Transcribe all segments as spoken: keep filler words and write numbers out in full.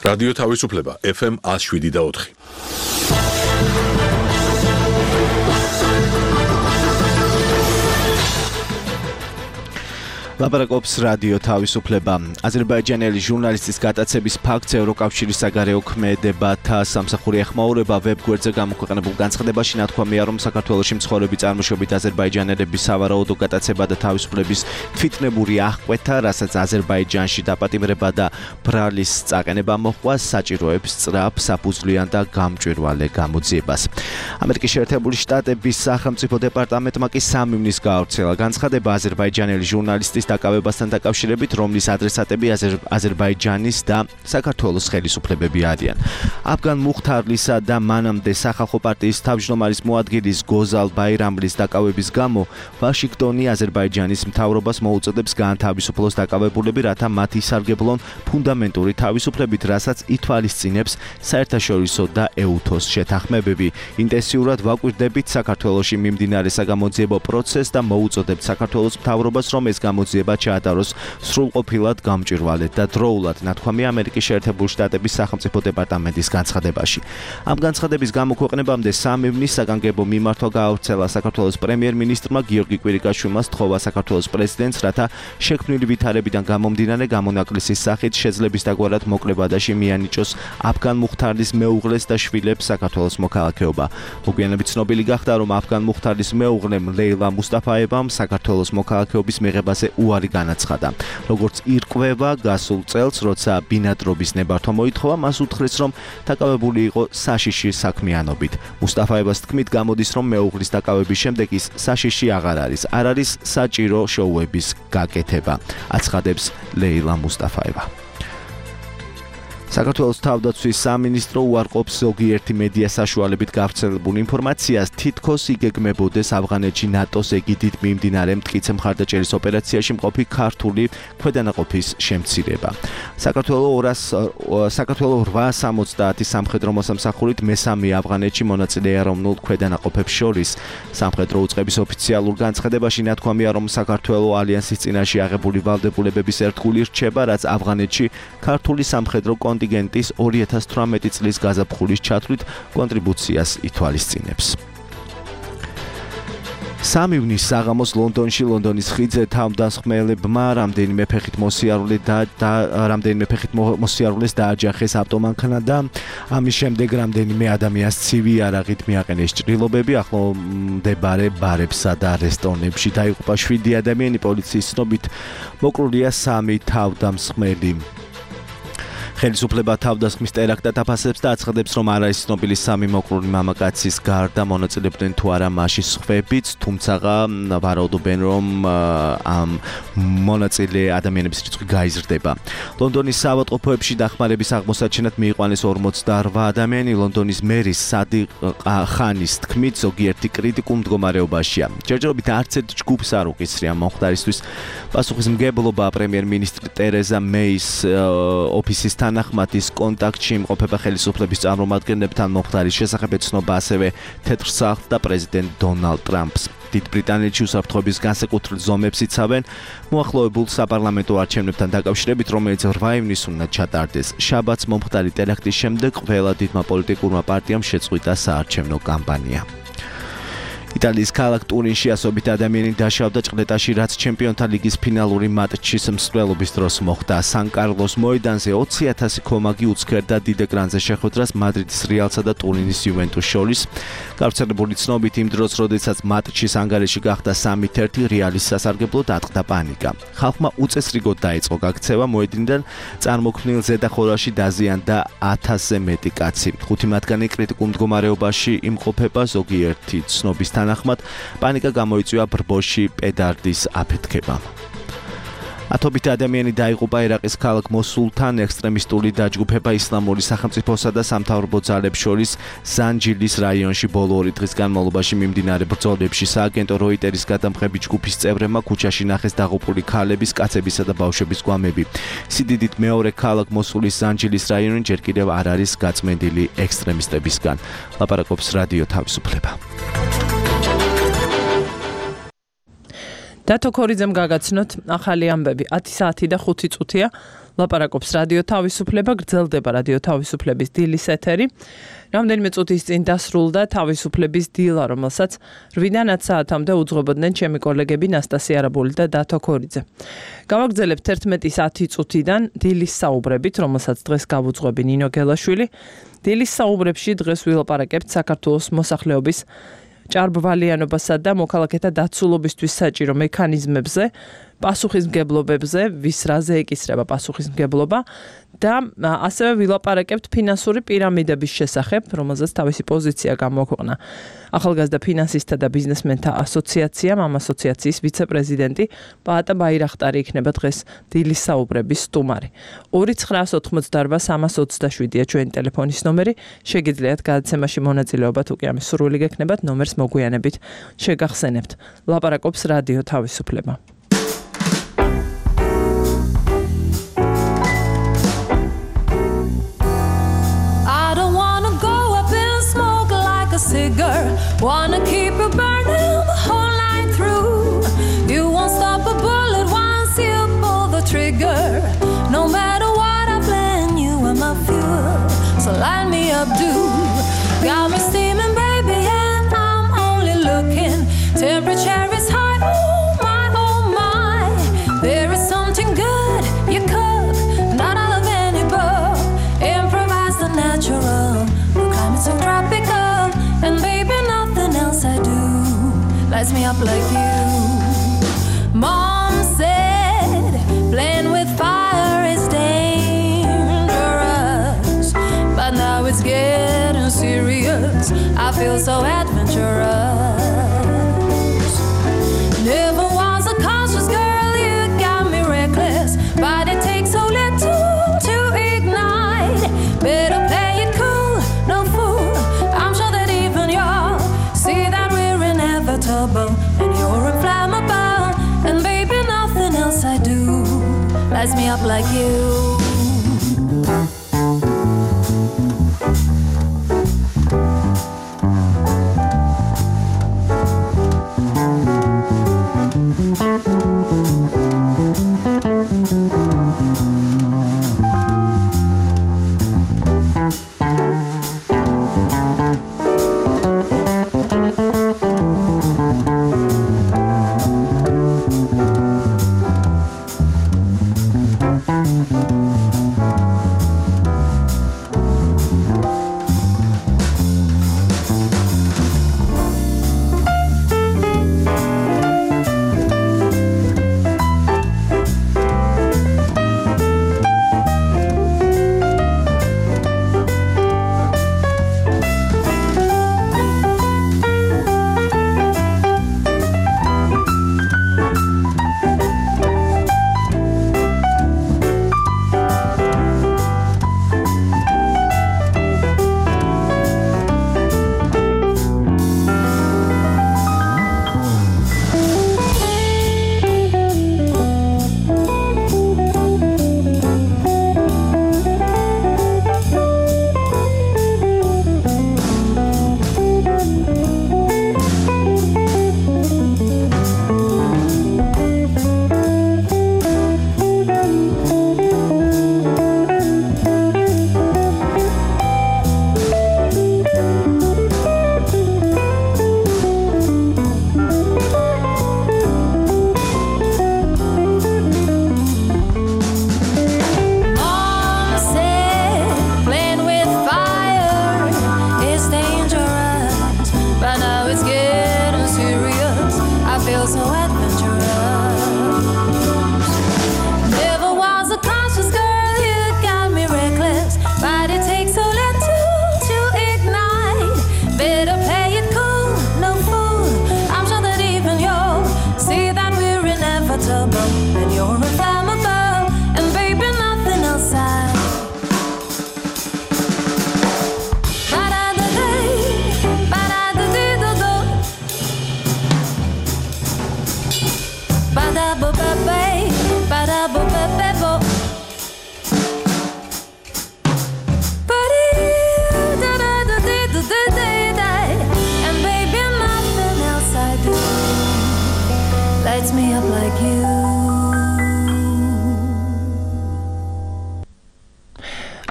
რადიო თავისუფლება ეფ ემ one oh seven და four. ლაპარაკობს რადიო თავისუფლება. აზერბაიჯანელი ჟურნალისტის გატაცების ფაქტს ევროკავშირის საგარეო ქმედებათა სამსახური ეხმაურება. ვებგვერდზე გამოქვეყნებულ განცხადებაში ნათქვამია, რომ საქართველოში მცხოვრები წარმოშობით აზერბაიჯანელების სავარაუდო გატაცება და თავისუფლების თვითნებური აღკვეთა, რასაც აზერბაიჯანში დაპატიმრება და ბრალის წაყენება მოჰყვა, საჭიროებს სწრაფ, საფუძვლიან და გამჭვირვალე გამოძიებას. ამერიკის შეერთებული შტატების სახელმწიფო დეპარტამენტმა კი სამივნის გაავრცელა განცხადება აზერბაიჯანელი ჟურნალისტის დაკავებასთან დაკავშირებით, რომლის ადრესატები აზერბაიჯანის და საქართველოს ხელისუფლებები არიან. აფგან მუხთარლისა და მანამდე სახალხო პარტიის თავმჯდომარის მოადგილის გოზალ ბაირამლის დაკავების გამო ვაშინგტონი აზერბაიჯანის მთავრობას მოუწოდებს გაანთავისუფლოს დაკავებულები, რათა მათ ისარგებლონ ფუნდამენტური თავისუფლებით, რასაც ითვალისწინებს საერთაშორისო და ეუთოს შეთანხმებები. ინტენსიურად ვაკვირდებით საქართველოში მიმდინარე საგამოძიებო პროცესს და მოუწოდებთ საქართველოს მთავრობას, რომ ეს გამოძიება ჩაატაროს სრულყოფილად, გამჭვირვალედ და დროულად, ნათქვამია ამერიკის შეერთებული შტატების სახელმწიფო დეპარტამენტის განცხადებაში. ამ განცხადების გამოქვეყნებამდე სამივნის საგანგებო მიმართვა გაავრცელა საქართველოს პრემიერ-მინისტრმა გიორგი კვირიკაშვილმა სთხოვა საქართველოს პრეზიდენტს, რათა შექმნილი ვითარებიდან გამომდინარე გამონაკლისის სახით შეძლების დაგვარად მოკლება და შემიანიჭოს აფგან მუხთარლის მეუღლეს და შვილებს საქართველოს მოქალაქეობა. მოგვიანებით ცნობილი გახდა, რომ აფგან მუხთარლის მეუღლემ ლეილა მუსტაფაევამ საქართველოს მოქალაქეობის მიღებაზე უარი განაცხადა. როგორც ირკვევა, გასულ წელს, როცა ბინადრობის ნებართვა მოითხოვა, მას უთხრეს, რომ დაკავებული იყო საშიში საქმიანობით. მუსტაფაევას თქმით, გამოდის, რომ მეუღლის დაკავების შემდეგ ის საშიში აღარ არის. არ არის საჭირო შოუების გაკეთება, აცხადებს ლეილა მუსტაფაევა. საქართველოს თავდაცვის სამინისტრო უარყოფს ზოგიერთი მედია საშუალებით გავრცელებულ ინფორმაციას, თითქოს იგეგმებოდეს ავღანეთში ნატოს ეგიდით მიმდინარე მტკიცე მხარდაჭერის ოპერაციაში მყოფი ქართული ქვედანაყოფის შემცირება. საქართველოს რვაას ორმოცდაათი სამხედრო მოსამსახურით მესამე ავღანეთში მონაწილე ეროვნულ ქვედანაყოფებს შორის. სამხედრო უწყების ოფიციალურ განცხადებაში ნათქვამია, რომ საქართველოს ალიანსის წინაშე აღებული ვალდებულებების ერთგული რჩება, რაც ავღანეთში ქართული სამხედრო კონტინგენტის ორი ათას თვრამეტი წლის გაზაფხულის ჩათვლით კონტრიბუციას ითვალისწინებს. სამივნის საღამოს ლონდონში ლონდონის ხიდზე თავდამსხმელებმა რამდენიმე ფეხით მოსიარულე და რამდენიმე ფეხით მოსიარულეს დააჯახეს ავტომანქანა და ამის შემდეგ რამდენიმე ადამიანს ცივი არაღით მიაყენეს ჭრილობები. ახლომდებარე ბარებსა და რესტორნებში დაიღუპა შვიდი ადამიანი, პოლიციის ცნობით მოკლულია სამი თავდამსხმელი. ხელისუფლება თავდასხმის ტერაქტად აფასებს და აცხადებს, რომ არ არის ცნობილი სამი მოკლული მამაკაცის გარდა მონაწილეობდნენ თუ არა მასში სხვებიც, თუმცა ვარაუდობენ, რომ ამ მონაწილე ადამიანების რიცხვი გაიზრდება. ლონდონის საავადმყოფოებში დახმარების აღმოსაჩენად მიიყვანეს ორმოცდარვა ადამიანი. ლონდონის მერის სადიყ ხანის თქმით, ზოგიერთი კრიტიკულ მდგომარეობაშია. ჯერჯერობით არც ერთ ჯგუფს არ უკისრია მომხდარისთვის პასუხისმგებლობა. პრემიერ-მინისტრი ტერეზა მეის ოფისის თანახმადის კონტაქტში იმყოფება ხელისუფლების წარმომადგენლებთან. მომხდარის შესახებ ეცნობა ასევე თეთრ სახლს და პრეზიდენტ დონალდ ტრამპს. დიდ ბრიტანეთში უსაფრთხოების განსაკუთრებულ ზომებს იცავენ მოახლოებულ საპარლამენტო არჩევნებთან დაკავშირებით, რომელიც რვა ივნისს უნდა ჩატარდეს. შაბათს მომხდარი ტერაქტის შემდეგ ყველა დიდმა პოლიტიკურმა პარტიამ შეწყვიტა საარჩევნო კამპანია. იტალიის ქალაქ ტურინში ასობით ადამიანი დაშავდა ჭყლეტაში, რაც ჩემპიონთა ლიგის ფინალური მატჩის მსვლელობის დროს მოხდა. სან-კარლოს მოედანზე ოცი ათასი ქომაგი უცქერდა დიდ ეკრანზე შეხვედრას მადრიდის რეალსა და ტურინის იუვენტუსს შორის. გავრცელებული ცნობით, იმ დროს, როდესაც მატჩის ანგარიში გახდა სამით ერთი, რეალის სასარგებლოდ ატყდა პანიკა. ხალხმა უწესრიგოდ დაიწყო გაქცევა, მოედნიდან წარმოქმნილ ზედახურაში დაზიანდა ათასზე მეტი კაცი. ხუთი მათგანი კრიტიკულ მდგომარეობაში იმყოფება, ზოგიერთი ცნობის თანახმად პანიკა გამოიწვია ბრბოში პედარდის აფეთქებამ. ათობით ადამიანი დაიღუპა ერაყის ქალაქ მოსულთან ექსტრემისტული დაჯგუფება ისლამური სახელმწიფოსა და სამთავრობო ძალებს შორის ზანჯილის რაიონში ბოლო ორი დღის განმავლობაში მიმდინარე ბრძოლებში. სააგენტო როიტერის გადამღები ჯგუფის წევრებმა ქუჩაში ნახეს დაღუპული ქალების, კაცებისა და ბავშვების გვამები. სიდიდით მეორე ქალაქ მოსულის ზანჯილის რაიონი ჯერ კიდევ არ არის გაწმენდილი ექსტრემისტებისგან. ლაპარაკობს რადიო თავისუფლება. დათო ქორიძემ გაგაცნოთ ახალი ამბები ათი საათი და ხუთი წუთია ლაპარაკობს რადიო თავისუფლება, გრძელდება რადიო თავისუფლების დილის ეთერი. რამდენიმე წუთის წინ დასრულდა თავისუფლების დილა, რომელსაც რვიდან ათ საათამდე უძღვებოდნენ ჩემი კოლეგები ნასტასია არაბული და დათო ქორიძე. გავაგრძელებთ ერთმეტის ათი წუთიდან დილის საუბრებით, რომელსაც დღეს გავუძღვები ნინო გელაშვილი. დილის საუბრებში დღეს ვილაპარაკებთ საქართველოს მოსახლეობის ჭარბვალიანობასა და მოქალაქეთა დაცულობისთვის საჭირო მექანიზმებზე, პასუხისმგებლობებზე, ვის რაზე ეკისრება პასუხისმგებლობა და ასევე ვილაპარაკებთ ფინანსური პირამიდების შესახებ, რომელზეც თავისი პოზიცია გამოაქვეყნა ახალგაზრდა ფინანსისტთა და ბიზნესმენთა ასოციაციამ, ამ ასოციაციის ვიცე-პრეზიდენტი პაატა ბაირახტარი იქნება დღეს დილის საუბრების სტუმარი. ორი ცხრა ოთხმოცდაორბა სამას ოცდაშვიდია ჩვენი ტელეფონის ნომერი. შეგიძლიათ გადაცემაში მონაწილეობა, თუ კი ამის სურვილი გექნებათ, ნომერს მოგვიანებით შეგახსენებთ. ლაპარაკობს რადიო თავისუფლება. Wanna keep it burning the whole night through. You won't stop a bullet once you pull the trigger. No matter what I plan, you are my fuel. So line me up, dude. Got me steaming, baby, and I'm only looking. Temperature is high, oh my, oh my. There is something good you cook, not out of any book. Improvise the natural. The climate's so tropical, and baby, nothing else I do lights me up like you. Mom said playing with fire is dangerous, but now it's getting serious. I feel so adventurous. Never was a cautious girl, you got me reckless, but it takes so little to ignite. Better play it cool, no fool. I'm sure that even you'll see that we're inevitable, and you're inflammable, and baby, nothing else I do lights me up like you.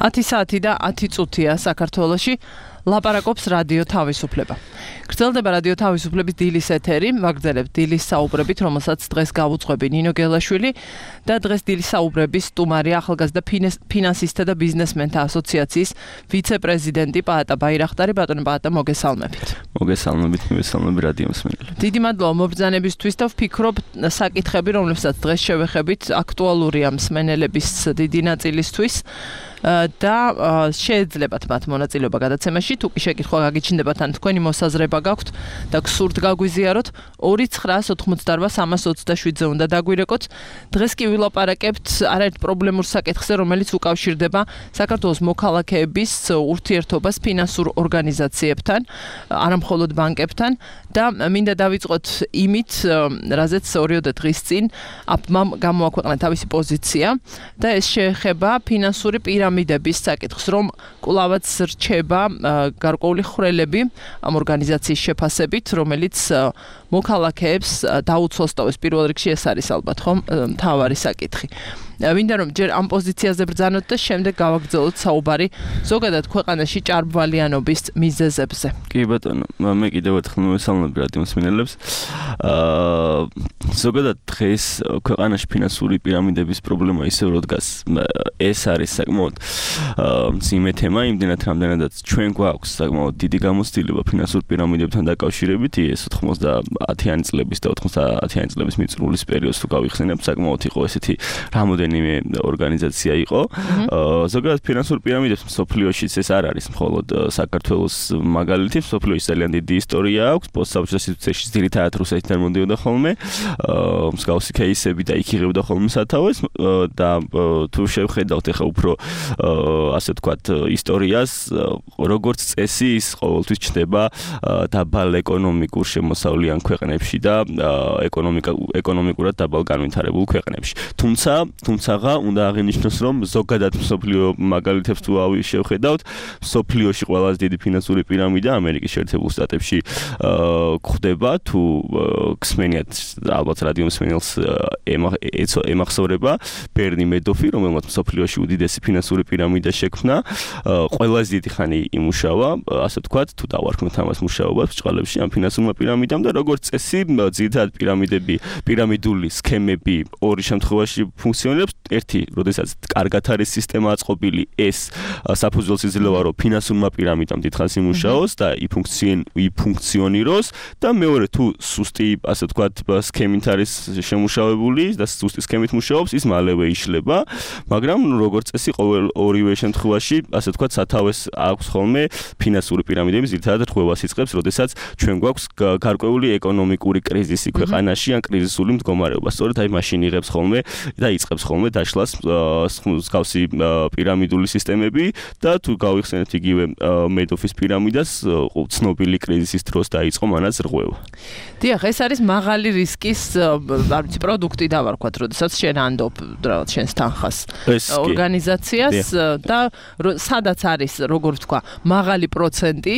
ათი საათი და ათი წუთია საქართველოში. ლაპარაკობს რადიო თავისუფლება. გრძელდება რადიო თავისუფლების დილის ეთერი, ვაგრძელებთ დილის საუბრებით, რომელსაც დღეს გავუძღვები ნინო გელაშვილი და დღეს დილის საუბრების სტუმარია ახალგაზრდა ფინანსისტთა და ბიზნესმენთა ასოციაციის ვიცე-პრეზიდენტი პაატა ბაირახტარი. ბატონო პაატა, მოგესალმებით. მოგესალმებით, მოგესალმებით რადიო მსმენელებს. დიდი მადლობა მობრძანებისთვის და ვფიქრობ საკითხები, რომლებსაც დღეს შევეხებით, აქტუალურია მსმენელების დიდი ნაწილისთვის. და შეეძლებათ მათ მონაწილეობა გადაცემაში. თუ კი შეკითხვა გაგიჩნდებათ ან თქვენი მოსაზრება გაქვთ და გსურთ გაგვიზიაროთ, ორი ცხრა ოთხმოცდაოთხ სამას ოცდაშვიდზე უნდა დაგვირეკოთ. დღეს კი ვილაპარაკებთ არაერთ პრობლემურ საკითხზე, რომელიც უკავშირდება საქართველოს მოქალაქეების ურთიერთობას ფინანსურ ორგანიზაციებთან, არამხოლოდ ბანკებთან და მინდა დავიწყოთ იმით, რაზეც ორიოდე დღის წინ აპმა გამოაქვეყნა თავისი პოზიცია და ეს შეეხება ფინანსური პირამიდების საკითხს, რომ კვლავაც რჩება გარკვეული ხვრელები ამ ორგანიზაციის შეფასებით, რომელიც მოქალაქეებს დაუცვას ტოვებს. პირველ რიგში ეს არის ალბათ ხომ მთავარი საკითხი. მინდა რომ ჯერ ამ პოზიციაზე ბრძანოთ და შემდეგ გავაგრძელოთ საუბარი ზოგადად ქვეყანაში ჭარბვალიანობის მიზეზებზე. კი ბატონო, მე კიდევ ერთხელ მოგესალმები რადიო მსმენელებს. აა ზოგადად დღეს ქვეყანაში ფინანსური პირამიდების პრობლემა ისევ რო დგას. ეს არის საკმაოდ მძიმე თემა, იმდენად რამდენადაც ჩვენ გვაქვს საკმაოდ დიდი გამოცდილება ფინანსურ პირამიდებთან დაკავშირებით. ეს ოცდაათიანი წლების და ოცდაათიანი წლების მიწურულის პერიოდს თუ გავიხსენებ, საკმაოდ იყო ესეთი რამოდენიმე ორგანიზაცია იყო. ზოგადად ფინანსურ პირამიდებს მსოფლიოშიც ეს არ არის მხოლოდ საქართველოს მაგალითი, მსოფლიოში ძალიან დიდი ისტორია აქვს. პოსტსაბჭოთა სიტუაციაში ძირითადად რუსეთიდან მომდიოდა ხოლმე. მსგავსი кейსები და იქ იღებდა ხოლმე სათავეს და თუ შევხედავთ ახლა უფრო ასე ვთქვათ ისტორიას, როგორც წესი ის ყოველთვის ჩნდება დაბალ ეკონომიკურ შემოსავლიან ქვეყნებში და ეკონომიკა ეკონომიკურად დაბალ განვითარებულ ქვეყნებში. თუმცა თუმცაღა უნდა აღინიშნოს, რომ ზოგადად მსოფლიო მაგალითებს თუ შევხედავთ, მსოფლიოში ყველაზე დიდი ფინანსური პირამიდა ამერიკის შეერთებულ შტატებში გვხდება. თუ გსმენიათ ალბათ რადიო მსმენელს ემახსოვრება ბერნი მედოფი, რომელმაც მსოფლიოში უდიდესი ფინანსური პირამიდა შექმნა. ყველაზე დიდი ხანი იმუშავა, ასე ვთქვათ, თუ დავარქმევთ ამას მუშაობას ბჭყალებში ამ ფინანსურმა პირამიდამ და როგორც წესი, ძირითადად პირამიდები, პირამიდული სქემები ორი შემთხვევაში ფუნქციონირებს. ერთი, როდესაც კარგად არის სისტემა აწყობილი, ეს საფუძველს იძლევა, რომ ფინანსურმა პირამიდამ დიდხანს იმუშაოს და იფუნქციონიროს და მეორე, თუ სუსტი, ასე ვთქვათ, სქემით არის შემუშავებული და სუსტი სქემით მუშაობს, ის მალევე იშლება, მაგრამ როგორც წესი, ყოველ ორივე შემთხვევაში, ასე ვთქვათ, სათავეს აქვს ხოლმე ფინანსური პირამიდების ძირითადად რღვევას იწყებს, როდესაც ჩვენ გვაქვს გარკვეული ეკონომიკური კრიზისი ქვეყანაში ან კრიზისული მდგომარეობა. სწორედ აი მაშინ იღებს ხოლმე და იწყებს ხოლმე დაშლას მსგავსი პირამიდული სისტემები და თუ გავიხსენებთ იგივე მედოფის პირამიდას, ცნობილი კრიზისის დროს დაიწყო მანაც რღვევა. დიახ, ეს არის მაღალი რისკის არ ვიცი პროდუქტი დავარქვათ, როდესაც შენ ანდობ რაღაც შენს თანხას ორგანიზაციას და სადაც არის, როგორ ვთქვა, მაღალი პროცენტი,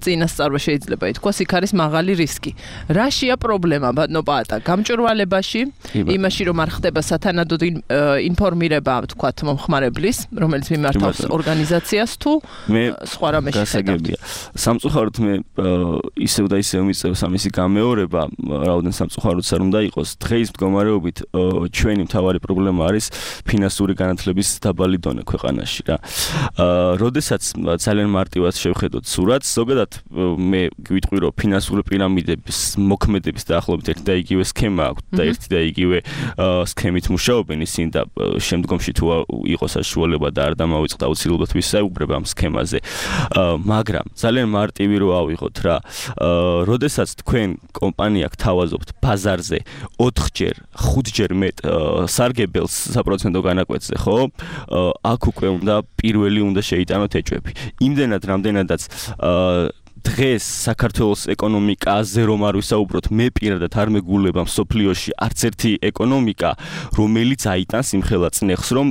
წინასწარ შეიძლება ითქვას, იქ არის მაღალი რისკი. რაშია პრობლემა, ბატონო პაატა? გამჭვირვალებაში, იმაში რომ არ ხდება სათანადო ინფორმირება, ვთქვათ, მომხმარებლის, რომელიც მიმართავს ორგანიზაციას თუ სხვა რამეში გასაგებია. სამწუხაროდ მე ისევ და ისევ მიწევს ამისი გამეორება, რაოდენ სამწუხაროდაც არ უნდა იყოს. დღეის მდგომარეობით ჩვენი მთავარი პრობლემა არის ფინანსური განათლების დაბალი დონე ქვეყანაში რა. როდესაც ძალიან მარტივად შევხედოთ სურათს, ზოგადად მე გვიტყვი, რომ ფინანსური პირამიდების მოქმედების დაახლოებით ერთი და იგივე სქემა აქვს და ერთი და იგივე სქემით მუშაობენ ისინი და შემდგომში თუ იყოს საშუალება და არ დამავიწყდა აუცილებლად ვისაუბრებ ამ სქემაზე. მაგრამ ძალიან მარტივი რო ავიღოთ რა. როდესაც თქვენ კომპანია გთავაზობთ ბაზარზე ოთხჯერ, ხუთჯერ მეტ სარგებელს საპროცენტო განაკვეთზე, ხო? აქ უკვე უნდა პირველი უნდა შეიტანოთ ეჭვები. იმდენად რამდენადაც დღეს საქართველოს ეკონომიკაზე რომ არ ვისაუბროთ, მე პირადად არ მეგულება მსოფლიოში არც ერთი ეკონომიკა, რომელიც აიტანს იმხელა წნეხს, რომ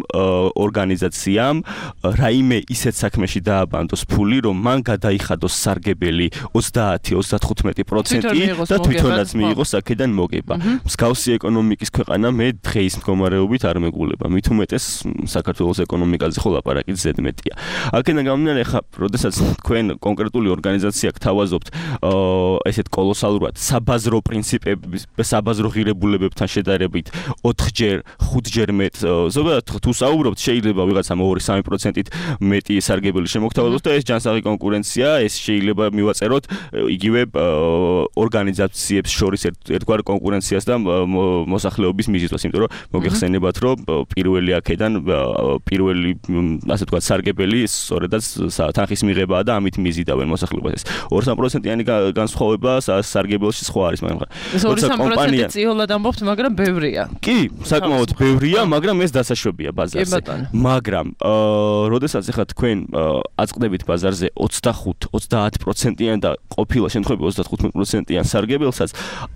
ორგანიზაციამ რაიმე ისეთ საქმეში დააბანდოს ფული, რომ მან გადაიხადოს სარგებელი ოცდაათი ოცდათხუთმეტი პროცენტი და თვითონაც მიიღოს აქედან მოგება. მსგავსი ეკონომიკის ქვეყანა მე დღეის მდგომარეობით არ მეგულება. მით უმეტეს საქართველოს ეკონომიკაზე ხო ლაპარაკი ზედმეტია. აქედან გამომდინარე, ხა, როდესაც თქვენ კონკრეტული ორგანიზაცია გთავაზობთ ესეთ კოლოსალურად საბაზრო პრინციპების, საბაზრო ღირებულებებთან შედარებით ოთხჯერ, ხუთჯერ მეტ, ზოგადად თუ საუბრობთ, შეიძლება ვიღაცამ ორი სამი პროცენტით მეტი სარგებელი შემოგთავაზოს და ეს ჯანსაღი კონკურენცია, ეს შეიძლება მივაწეროთ იგივე ორგანიზაციებს შორის ერთგვარ კონკურენციას და მოსახლეობის მიზიდვას, იმიტომ რომ მოგეხსენებათ, რომ პირველი აქედან პირველი ასე ვთქვათ სარგებელი სწორედაც თანხის მიღებაა და ამით მიზიდავენ მოსახლეობას. ორი სამი პროცენტიანი განსხვავება სარგებელში სხვა არის, მაგრამ ორი სამი პროცენტი წიოლად ამბობთ, მაგრამ ბევრია. კი, საკმაოდ ბევრია, მაგრამ ეს დასაშვებია ბაზარზე. მაგრამ როდესაც ახლა თქვენ აწყდებით ბაზარზე ოცდახუთ ოცდაათ პროცენტიან და ყოფილა შემთხვევაში ოცდათხუთმეტ პროცენტიან სარგებელსაც,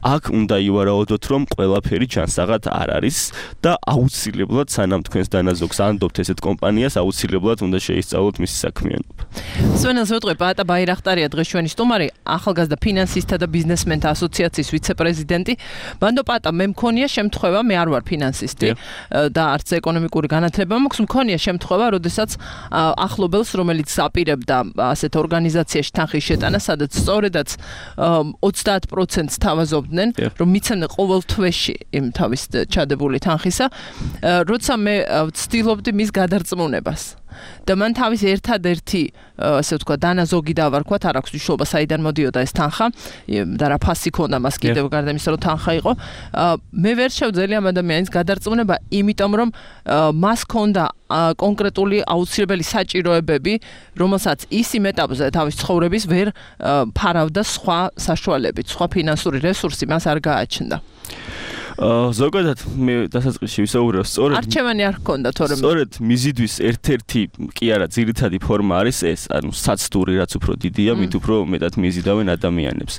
აქ უნდა ივარაუდოთ, რომ ყველაფერი ჯანსაღად არ არის და აუცილებლად სანამ თქვენს დანაზოგს ანდობთ ესეთ კომპანიას, აუცილებლად უნდა შეისწავლოთ მისი საქმიანობა. სვენელს ვეტყვი, პატა ბაირახტარია დღეს ჩვენი სტუმარი, ახალგაზრდა ფინანსისტთა და ბიზნესმენთა ასოციაციის ვიცე-პრეზიდენტი. ბანდო პატა, მე მქონია შემთხვევა, მე არ ვარ ფინანსისტი და არც ეკონომიკური განათლება მაქვს, მქონია შემთხვევა, როდესაც ახლობელს, რომელიც აპირებდა ასეთ ორგანიზაციაში თანხის შეტანა, სადაც სწორედაც ოცდაათ პროცენტს თავაზობდნენ, რომ მიცემდნენ ყოველ თვეში იმ თავის ჩადებული თანხისა, როცა მე ვცდილობდი მის გადარწმუნებას. და მან თავის ერთადერთი ასე ვთქვა დანაზოგი დავარქვა, არ აქვს მნიშვნელობა საიდან მოდიოდა ეს თანხა და რა ფასი ქონდა მას კიდევ გარდა იმისა, რომ თანხა იყო. მე ვერ შევძელი ამ ადამიანის გადარწმუნება, იმიტომ რომ მას ქონდა კონკრეტული აუცილებელი საჭიროებები, რომელსაც ის იმ ეტაპზე თავის ცხოვრების ვერ ფარავდა სხვა საშუალებით, სხვა ფინანსური რესურსი მას არ გააჩნდა. ზოგადად მე დასაწყისში ვისაუბრე, სწორედ არჩევანი არ ჰქონდა, თორემ სწორედ მიზიდვის ერთ-ერთი კი არა ძირითადი ფორმა არის ეს, ანუ საცდური, რაც უფრო დიდია, მით უფრო მეტად მიზიდავენ ადამიანებს.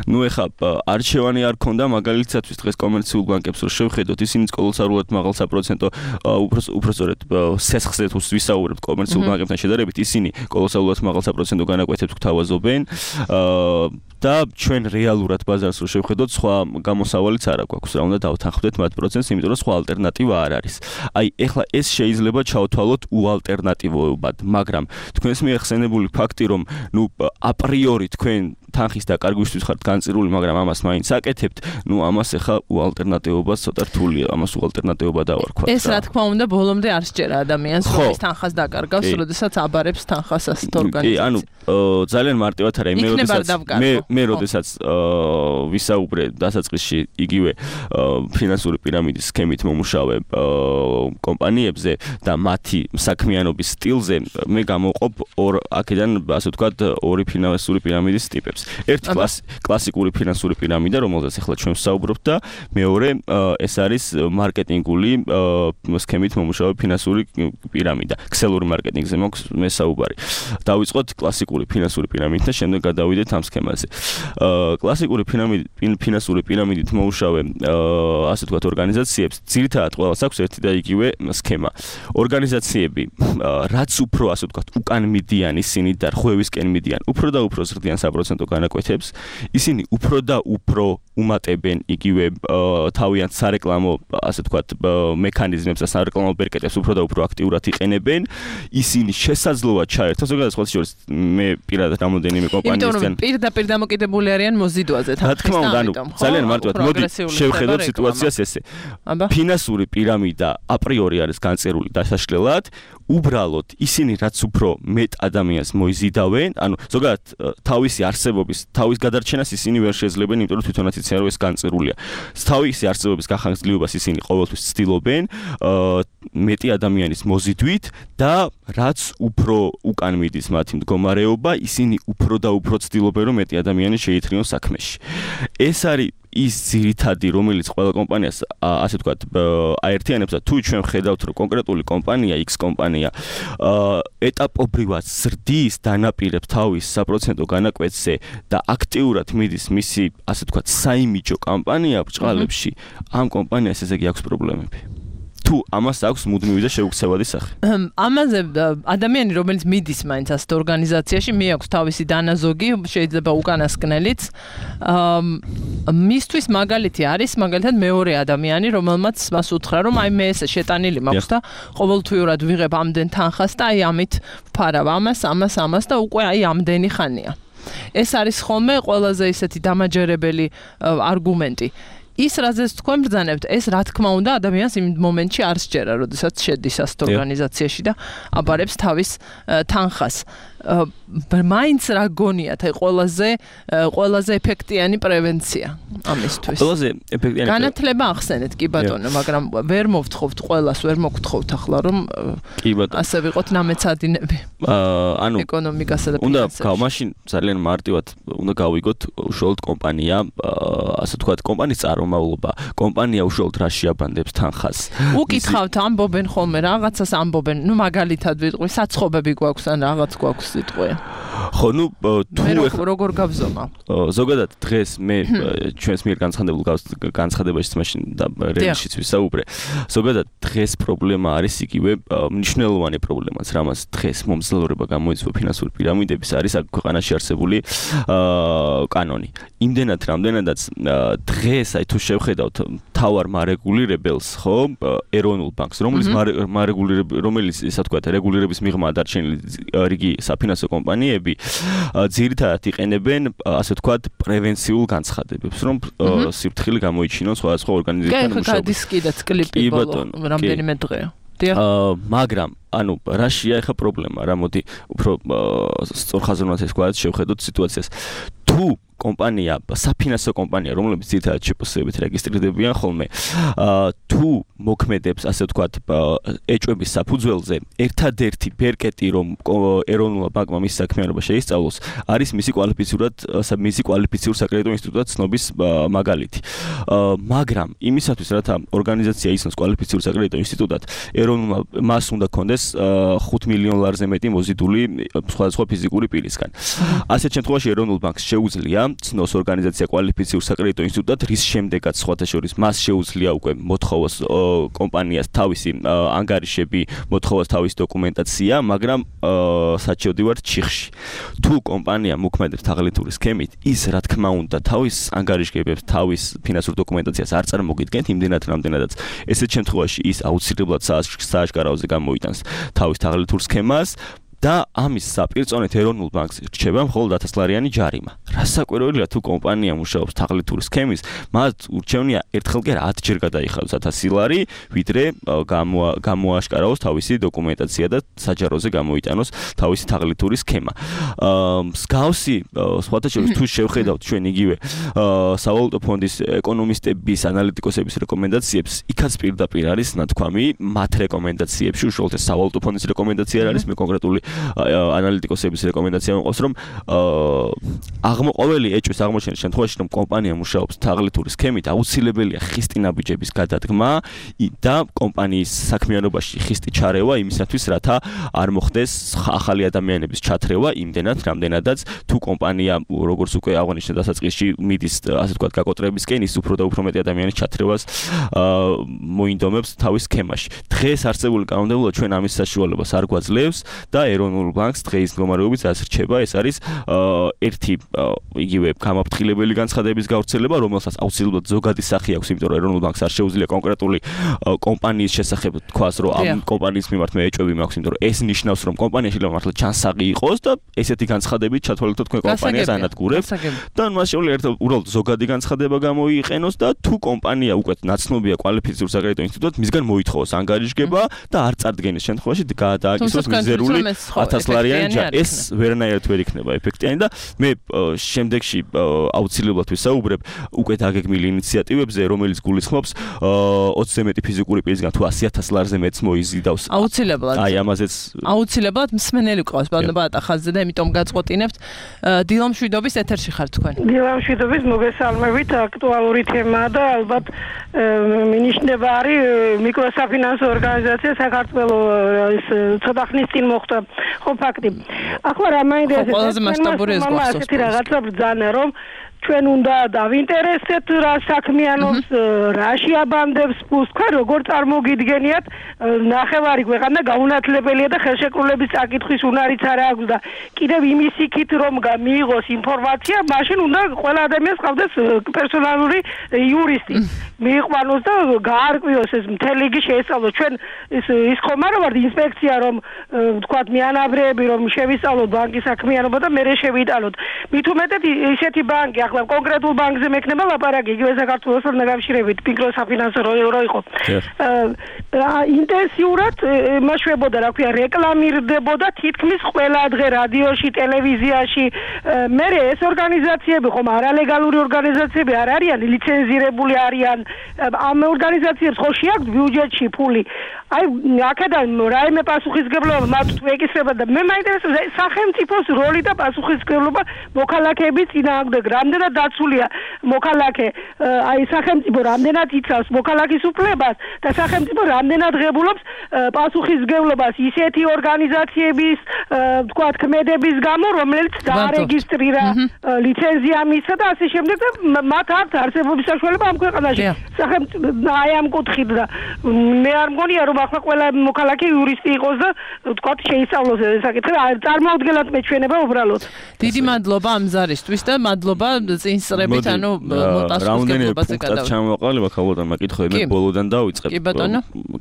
ნუ ეხა არჩევანი არ ჰქონდა, მაგალითად დღეს კომერციულ ბანკებს რო შევხედოთ, ისინიც კოლოსალურად მაღალ საპროცენტო უფრო უფრო სწორედ სესხზე თუ ვისაუბრებთ კომერციულ ბანკებთან შედარებით, ისინი კოლოსალურად მაღალ საპროცენტო განაკვეთებს გთავაზობენ და ჩვენ რეალურად ბაზარს რო შევხედოთ, სხვა გამოსავალიც არ აქვს, რა უნდა დავთანხმდეთ მათ პროცენტს, იმიტომ რომ სხვა ალტერნატივა არ არის. აი, ეხლა ეს შეიძლება ჩავთვალოთ უალტერნატივობად, მაგრამ თქვენს მიახსენებული ფაქტი, რომ ნუ აპრიორი თქვენ თანხის დაკარგვისთვის ხართ განწირული, მაგრამ ამას მაინც აკეთებთ, ნუ ამას ეხა უალტერნატივობა ცოტა რთულია, ამას უალტერნატივობა დავარქვათ. ეს რა თქმა უნდა ბოლომდე არ სჯერა ადამიანს, რომ ეს თანხას დაკარგავს, როდესაც აბარებს თანხას ასეთ ორგანიზაციას. კი, ანუ ძალიან მარტივად არა, მე როდესაც მე მე როდესაც ვისაუბრე დასაწყისში იგივე ფინანსური პირამიდის სქემით მომუშავე კომპანიებზე და მათი საქმიანობის სტილზე, მე გამოვყოფ ორ აქედან ასე ვთქვათ ორი ფინანსური პირამიდის ტიპებს. ერთი კლასიკური ფინანსური პირამიდა, რომელზეც ახლა ჩვენ ვსაუბრობთ და მეორე ეს არის მარკეტინგული სქემით მომუშავე ფინანსური პირამიდა. ქსელური მარკეტინგზე მაქვს მე საუბარი. დავიწყოთ კლასიკური ფინანსური პირამიდით და შემდეგ გადავიდეთ ამ სქემაზე. კლასიკური ფინანსური პირამიდით მომუშავე ასე ვთქვათ ორგანიზაციებს ძირითადად ყველას აქვს ერთი და იგივე სქემა. ორგანიზაციები რაც უფრო ასე ვთქვათ უკან მიდიან ისინი და რღვევისკენ მიდიან, უფრო და უფრო ზრდიან საპროცენტო განაკვეთებს, ისინი უფრო და უფრო უმატებენ იგივე თავიანთ სარეკლამო ასე ვთქვათ მექანიზმებს და სარეკლამო ბერკეტებს უფრო და უფრო აქტიურად იყენებენ. ისინი შესაძლოა ჩაერთონ, ზოგადად სხვა შორის მე პირადად რამოდენიმე კომპანიისგან პირდაპირ დამოკიდებული არიან მოზიდვაზე თანხის. რა თქმა უნდა, ანუ ძალიან მარტივად მოდი შევხედოთ სიტუაციას ესე. ფინანსური პირამიდა აპრიორი არის განწერული დასაშლელად, უბრალოდ ისინი რაც უფრო მეტ ადამიანს მოიზიდავენ, ანუ ზოგადად თავისი არსებობის, თავის გადარჩენას ისინი ვერ შეძლებენ, იმიტომ რომ თვითონაც იციან რომ ეს განწერულია. თავისი არსებობის გახანგრძლივობას ისინი ყოველთვის ცდილობენ მეტი ადამიანის მოზიდვით და რაც უფრო უკან მიდის მათი მდგომარეობა, ისინი უფრო და უფრო ცდილობენ რომ მეტი ადამიანი შეითრიონ საქმეში. ეს არის ის ძირითადი, რომელიც ყველა კომპანიას ასე ვთქვათ, აერთიანებს და თუ ჩვენ ხედავთ, რომ კონკრეტული კომპანია, X კომპანია, ეტაპობრივად ზრდის, დანაპირებს თავის საპროცენტო განაკვეთზე და აქტიურად მიდის მისი, ასე ვთქვათ, საიმიჯო კამპანია ბრჭყალებში, ამ კომპანიას ესე იგი აქვს პრობლემები. თუ ამას აქვს მუდმივი და შეუქცევადი სახე. ამაზე ადამიანი, რომელიც მიდის მაინც ასეთ ორგანიზაციაში, მიაქვს თავისი დანაზოგი, შეიძლება უკანასკნელიც. მისთვის მაგალითი არის, მაგალითად მეორე ადამიანი, რომელმაც მას უთხრა, რომ აი მე ესე შეტანილი მაქვს და ყოველთვიურად ვიღებ ამდენ თანხას და აი ამით ვფარავ ამას, ამას, ამას და უკვე აი ამდენი ხანია. ეს არის ხოლმე ყველაზე ისეთი დამაჯერებელი არგუმენტი. ის რაზეც თქვენ ბრძანებთ, ეს რა თქმა უნდა ადამიანს იმ მომენტში არ სჯერა, როდესაც შედის ასეთ ორგანიზაციაში და აბარებს თავის თანხას. მაინც რა გონიათ, აი ყველაზე ყველაზე ეფექტიანი პრევენცია ამისთვის. ყველაზე ეფექტიანი განათლება ახსენეთ კი ბატონო, მაგრამ ვერ მოვთხოვთ ყველას, ვერ მოგთხოვთ ახლა რომ კი ბატონო. ასე ვიყოთ ნამეცადინები. ანუ ეკონომიკასა და უნდა ფინანსებში. მაშინ ძალიან მარტივად უნდა გავიგოთ უშუალოდ კომპანია, ასე ვთქვათ, კომპანიის წარმომავლობა, კომპანია უშუალოდ რა შეაბანდებს თანხას. უკითხავთ, ამბობენ ხოლმე რაღაცას ამბობენ, ნუ მაგალითად ვიტყვი, საცხობები გვაქვს ან რაღაც გვაქვს სიტყვი. ხო, ნუ თუ მე როგორ გავზომა? ზოგადად დღეს მე ჩვენს მიერ განცხადებულ განცხადებაში მაშინ და რეალშიც ვისაუბრე. ზოგადად დღეს პრობლემა არის იგივე მნიშვნელოვანი პრობლემაც, რამაც დღეს მომძლავრება გამოიწვია ფინანსური პირამიდების არის აქ ქვეყანაში არსებული კანონი. იმდენად რამდენადაც დღეს აი თუ შევხედავთ თავარ მარეგულირებელს, ხო, ეროვნულ ბანკს, რომელიც რომელიც ისე ვთქვათ, რეგულირების მიღმა დარჩენილი რიგი საფინანსო კომპანიები ძირითადად იყენებენ, ასე ვთქვათ, პრევენციულ განცხადებებს, რომ სიფრთხილე გამოიჩინონ სხვადასხვა ორგანიზაციებთან მუშაობისას. კი, გადის კიდეც კლიპი ბოლო, რამდენიმე დღეა. მაგრამ ანუ რაშია ახლა პრობლემა, რა მოდი უფრო სწორხაზოვნად ეს გვაქვს შევხედოთ სიტუაციას. თუ კომპანია, საფინანსო კომპანია, რომელიც ძირითადად შეპოსებით რეგისტრირდებიან ხოლმე, თუ მოქმედებს, ასე ვთქვათ, ეჭვების საფუძველზე, ერთადერთი ბერკეტი, რომ ეროვნულ ბანკმა მის საქმიანობა შეისწავლოს, არის მისი კვალიფიცირად, მისი კვალიფიციური საკრედიტო ინსტიტუტად ცნობის მაგალითი. მაგრამ იმისათვის, რათა ორგანიზაცია ისნოს კვალიფიციური საკრედიტო ინსტიტუტად, ეროვნულ მას უნდა კონდეს ხუთ მილიონ ლარზე მეტი მოზიდული სხვადასხვა ფიზიკური პირისგან. ასეთ შემთხვევაში ეროვნულ ბანკს შეუძლია ცნოს ორგანიზაცია კვალიფიცირ საკრედიტო ინსტიტუტად, რის შემდეგაც სხვათა შორის მას შეუძლია უკვე მოთხოვოს კომპანიას თავისი ანგარიშები, მოთხოვოს თავისი დოკუმენტაცია, მაგრამ საჩივდი ვარ ჩიხში. თუ კომპანია მოქმედებს თაღლითური სქემით, ის რა თქმა უნდა თავის ანგარიშგებებს, თავის ფინანსურ დოკუმენტაციას არ წარმოგიდგენთ იმდენად რამდენადაც ესეთ შემთხვევაში ის აუცილებლად სააშკარაოზე გამოიტანს თავის თაღლითურ სქემას. და ამის საპირწონეთ ეროვნულ ბანკს რჩება მხოლოდ ათასლარიანი ჯარიმა. რასაკვირველია თუ კომპანია მუშაობს თაღლითური სქემის, მათ ურჩევნია ერთხელ კი ათჯერ გადაიხადოს ათასი ლარი, ვიდრე გამოაშკარაოს თავისი დოკუმენტაცია და საჯაროზე გამოიტანოს თავისი თაღლითური სქემა. მსგავსი სხვათა შორის თუ შევხედავთ ჩვენ იგივე სავალუტო ფონდის ეკონომისტების, ანალიტიკოსების რეკომენდაციებს, იქაც პირდაპირ არის ნათქვამი მათ რეკომენდაციებში, უშუალოდ ეს სავალუტო ფონდის რეკომენდაცია არის, მე კონკრეტული ანალიტიკოსების რეკომენდაცია მოყავს, რომ აღმოყოლელი ეჭვის აღმოჩენის შემთხვევაში, რომ კომპანია მუშაობს თაღლითური სქემით, აუცილებელია ხისტი ნაბიჯების გადადგმა და კომპანიის საქმიანობაში ხისტი ჩარევა იმისათვის, რათა არ მოხდეს ახალი ადამიანების ჩათრევა იმდენად, რამდენადაც თუ კომპანია, როგორც უკვე აღნიშნე დასაწყისში, მიდის, ასე ვთქვათ, გაკოტრებისკენ, ის უფრო და უფრო მეტი ადამიანის ჩათრევას მოინდომებს თავის სქემაში. დღეს არსებული კანონმდებლობა ჩვენ ამის საშუალებას არ გვაძლევს და ეროვნულ ბანკს დღეის მდგომარეობით რაც რჩება, ეს არის ერთი იგივე გამაფრთხილებელი განცხადების გავრცელება, რომელსაც აუცილებლად ზოგადი სახე აქვს, იმიტომ რომ ეროვნულ ბანკს არ შეუძლია კონკრეტული კომპანიის შესახებ თქვას, რომ ამ კომპანიის მიმართ მე ეჭვები მაქვს, იმიტომ რომ ეს ნიშნავს, რომ კომპანია შეიძლება მართლა ჩანსაღი იყოს და ესეთი განცხადებით ჩათვალოთ თქვენ კომპანიას ანადგურებთ და მას შეუძლია ერთ უბრალოდ ზოგადი განცხადება გამოიყენოს და თუ კომპანია უკვე ნაცნობია კვალიფიცირ საკრედიტო ინსტიტუტად, მისგან მოითხოვოს ანგარიშგება და არ წარდგენის შემთხვევაში გადააკისროს მიზერული ათას ლარიანი ეს ვერანაირად ვერ იქნება ეფექტიანი და მე შემდეგში აუცილებლად ვისაუბრებ უკვე დაგეგმილი ინიციატივებზე, რომელიც გულისხმობს ოცზე მეტი ფიზიკური პირისგან თუ ასი ათას ლარზე მეც მოიზიდავს. აუცილებლად. აი ამაზეც აუცილებლად მსმენელი ყავს ბატონო ხაზზე და იმიტომ გაწყვეტინებთ. დილა მშვიდობის ეთერში ხართ თქვენ. დილა მშვიდობის მოგესალმებით, აქტუალური თემაა და ალბათ მინიშნება არის მიკროსაფინანსო ორგანიზაცია საქართველოს ცოტა ხნის წინ მოხდა ხო ფაქტი. ახლა რა მაინტერესებს? ყველაზე მასშტაბური ეს გვახსოვს. ასეთი რაღაცა ბრძანა რომ ჩვენ უნდა დავინტერესდეთ რა საქმიანობს, რა შეაბამდებს ფულს, თქვენ როგორ წარმოგიდგენიათ ნახევარი ქვეყანა გაუნათლებელია და ხელშეკრულების წაკითხვის უნარიც არ აქვს და კიდევ იმის იქით რომ მიიღოს ინფორმაცია, მაშინ უნდა ყველა ადამიანს ყავდეს პერსონალური იურისტი. მიიყვანოს და გაარკვიოს ეს მთელი იგი შეესწავლოს. ჩვენ ის ის ხომ არ ვართ ინსპექცია რომ ვთქვათ მიანავრეები რომ შევისწავლოთ ბანკის საქმიანობა და მერე შევიტანოთ. მით უმეტად ისეთი ბანკი ახლა კონკრეტულ ბანკზე მექნება ლაპარაკი იგივე საქართველოსთან დაკავშირებით მიკროსაფინანსო რო იყო. ინტენსიურად მაშვებოდა რა ქვია რეკლამირდებოდა თითქმის ყველა დღე რადიოში, ტელევიზიაში. მერე ეს ორგანიზაციები ხომ არალეგალური ორგანიზაციები არ არიან, ლიცენზირებული არიან. ამ ორგანიზაციებს ხო შეაქვს ბიუჯეტში ფული. აი აქედან რაიმე პასუხისგებლობა მათ თუ ეკისრება და მე მაინტერესებს სახელმწიფოს როლი და პასუხისგებლობა მოქალაქეების წინააღმდეგ რამდენად დაცულია მოქალაქე აი სახელმწიფო რამდენად იცავს მოქალაქის უფლებას და სახელმწიფო რამდენად ღებულობს პასუხისგებლობას ისეთი ორგანიზაციების ვთქვათ ქმედების გამო რომელიც დაარეგისტრირა ლიცენზია მისცა და ასე შემდეგ და მათ აქვს არსებობის საშუალება ამ ქვეყანაში სახელმწიფო აი ამ კუთხით და მე არ მგონია რომ ახლა ყველა მოქალაქე იურისტი იყოს და ვთქვათ შეისწავლოს ეს საკითხი წარმოუდგენლად მეჩვენება უბრალოდ დიდი მადლობა ამ ზარისთვის და მადლობა წინსწრებით ანუ პასუხისგებლობაზე გადავიდეთ ჩამოვაყალიბა ქალბატონმა კითხვები მე ბოლოდან დავიწყებ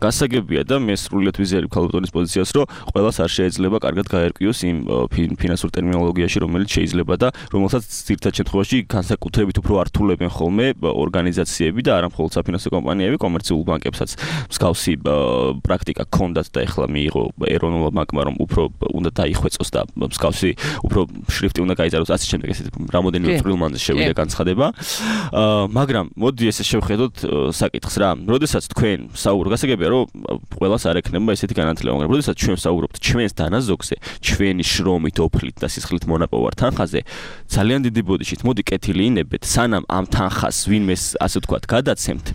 გასაგებია და მე სრულიად ვიზიარებ ქალბატონის პოზიციას რომ ყველას არ შეიძლება კარგად გაერკვიოს იმ ფინანსურ ტერმინოლოგიაში რომელიც შეიძლება და რომელსაც ძირითად შემთხვევაში განსაკუთრებით უფრო ართულებენ ხოლმე ორგანიზაციები და არა მხოლოდ საფინანსო კომპანიები კომერციულ ბანკებსაც მსგავსი პრაქტიკა ქონდათ და ეხლა მიიღო ეროვნულ ბანკმა რომ უფრო უნდა დაიხვეწოს და მსგავსი უფრო შრიფტი უნდა გაიწეროს ასე შემდეგ ესეთ რამოდენიმე წვრილმანზე შევიდა განცხადება მაგრამ მოდი ესე შევხედოთ საკითხს რა როდესაც თქვენ საუბრობთ გასაგებია რომ ყველას არ ექნება ესეთი განათლება მაგრამ როდესაც ჩვენ საუბრობთ ჩვენს დანაზოგზე ჩვენი შრომით ოფლით და სისხლით მონაპოვარ თანხაზე ძალიან დიდი ბოდიშით მოდი კეთილი ინებეთ სანამ ამ თანხას ვინმეს ასე ვთქვათ გადაცემთ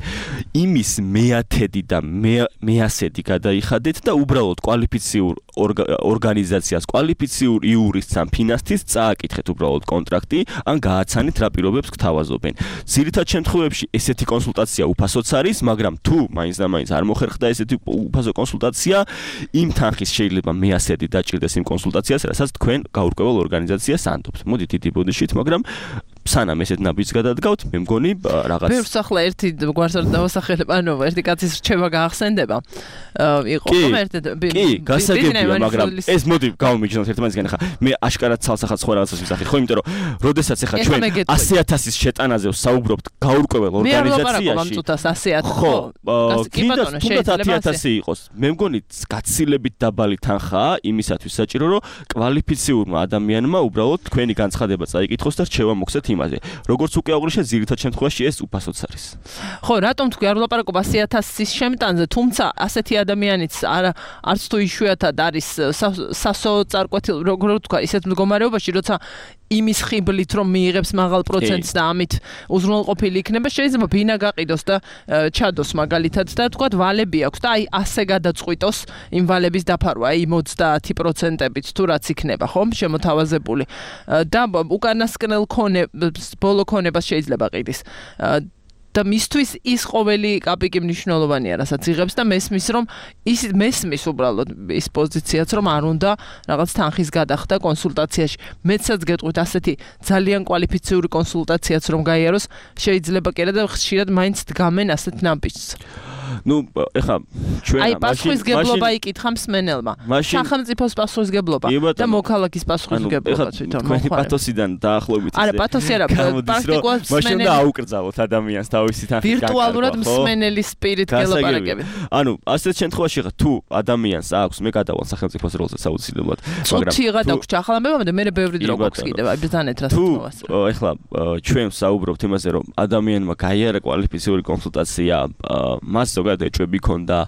იმის მეათედი და მეასედი გადაიხადეთ და უბრალოდ კვალიფიციურ ორგანიზაციას კვალიფიციურ იურისტს ან ფინანსის წააკითხეთ უბრალოდ კონტრაქტი ან გააცანით რა პირობებს გთავაზობენ ძირითად შემთხვევებში ესეთი კონსულტაცია უფასოც არის მაგრამ თუ მაინც და მაინც არ მოხერხდა ესეთი უფასო კონსულტაცია იმ თანხის შეიძლება მეასედი დაჭირდეს იმ კონსულტაციას რასაც თქვენ გაურკვეველ ორგანიზაციას ანდობთ მოდით დიდი ბოდიშით მაგრამ სანამ ესეთ ნაბიჯს გადადგავთ, მე მგონი რაღაც ბევრს ახლა ერთი გვარს არ დავასახელებ, ანუ ერთი კაცის რჩევა გაახსენდება. იყო ხომ ერთი კი, გასაგებია, მაგრამ ეს მოდი გავმიჯნოთ ერთმანეთისგან ხა. მე აშკარად ცალსახაც ხო რაღაცას ვისახით, ხო, იმიტომ რომ როდესაც ახლა ჩვენ ასი ათასის შეტანაზე ვსაუბრობთ გაურკვეველ ორგანიზაციაში. ხო, კიდევ ათი ათასი იყოს. მე მგონი გაცილებით დაბალი თანხაა იმისათვის საჭირო, რომ კვალიფიციურმა ადამიანმა უბრალოდ თქვენი განცხადება წაიკითხოს და რჩევა მოგცეთ იმაზე. როგორც უკვე აღნიშნე, ძირითად შემთხვევაში ეს უფასოც არის. ხო, რატომ თქვი არ ვლაპარაკობ ასი ათასის შემტანზე, თუმცა ასეთი ადამიანიც არ არც თუ იშვიათად არის სასოწარკვეთილ როგორ ვთქვა, ისეთ მდგომარეობაში, როცა იმის ხიბლით რომ მიიღებს მაღალ პროცენტს და ამით უზრუნველყოფილი იქნება, შეიძლება ბინა გაყიდოს და ჩადოს მაგალითად და თქვა ვალები აქვს და აი ასე გადაწყვიტოს იმ ვალების დაფარვა, აი ოცდაათი პროცენტებით თუ რაც იქნება, ხომ, შემოთავაზებული და უკანასკნელ ქონებას, ბოლო ქონებას შეიძლება ყიდის. და მისთვის ის ყოველი კაპიკი მნიშვნელოვანია, რასაც იღებს და მესმის რომ ის მესმის უბრალოდ ის პოზიციაც რომ არ უნდა რაღაც თანხის გადახდა კონსულტაციაში. მეცაც გეტყვით ასეთი ძალიან კვალიფიციური კონსულტაციაც რომ გაიაროს, შეიძლება კიდე და ხშირად მაინც დგამენ ასეთ ნაბიჯს. ნუ ეხლა ჩვენ აი პასუხისგებლობა იკითხა მსმენელმა. სახელმწიფოს პასუხისგებლობა და მოქალაქის პასუხისგებლობა თვითონ თქვენი პათოსიდან დაახლოებით არა პათოსი არა პრაქტიკულად მაშინ და აუკრძალოთ ადამიანს თავისი თანხით ვირტუალურად მსმენელის სპირით გელაპარაკებით. ანუ ასეთ შემთხვევაში ხა თუ ადამიანს აქვს მე გადავალ სახელმწიფოს როლზე საუცილებლად მაგრამ თუ იღა დაგვრჩა ახლა ამბებმა და მე ბევრი დრო გვაქვს კიდევ აი ბრძანეთ რა თმას თუ ეხლა ჩვენ საუბრობთ იმაზე რომ ადამიანმა გაიარა კვალიფიციური კონსულტაცია მას ზოგადად ეჭვები ქონდა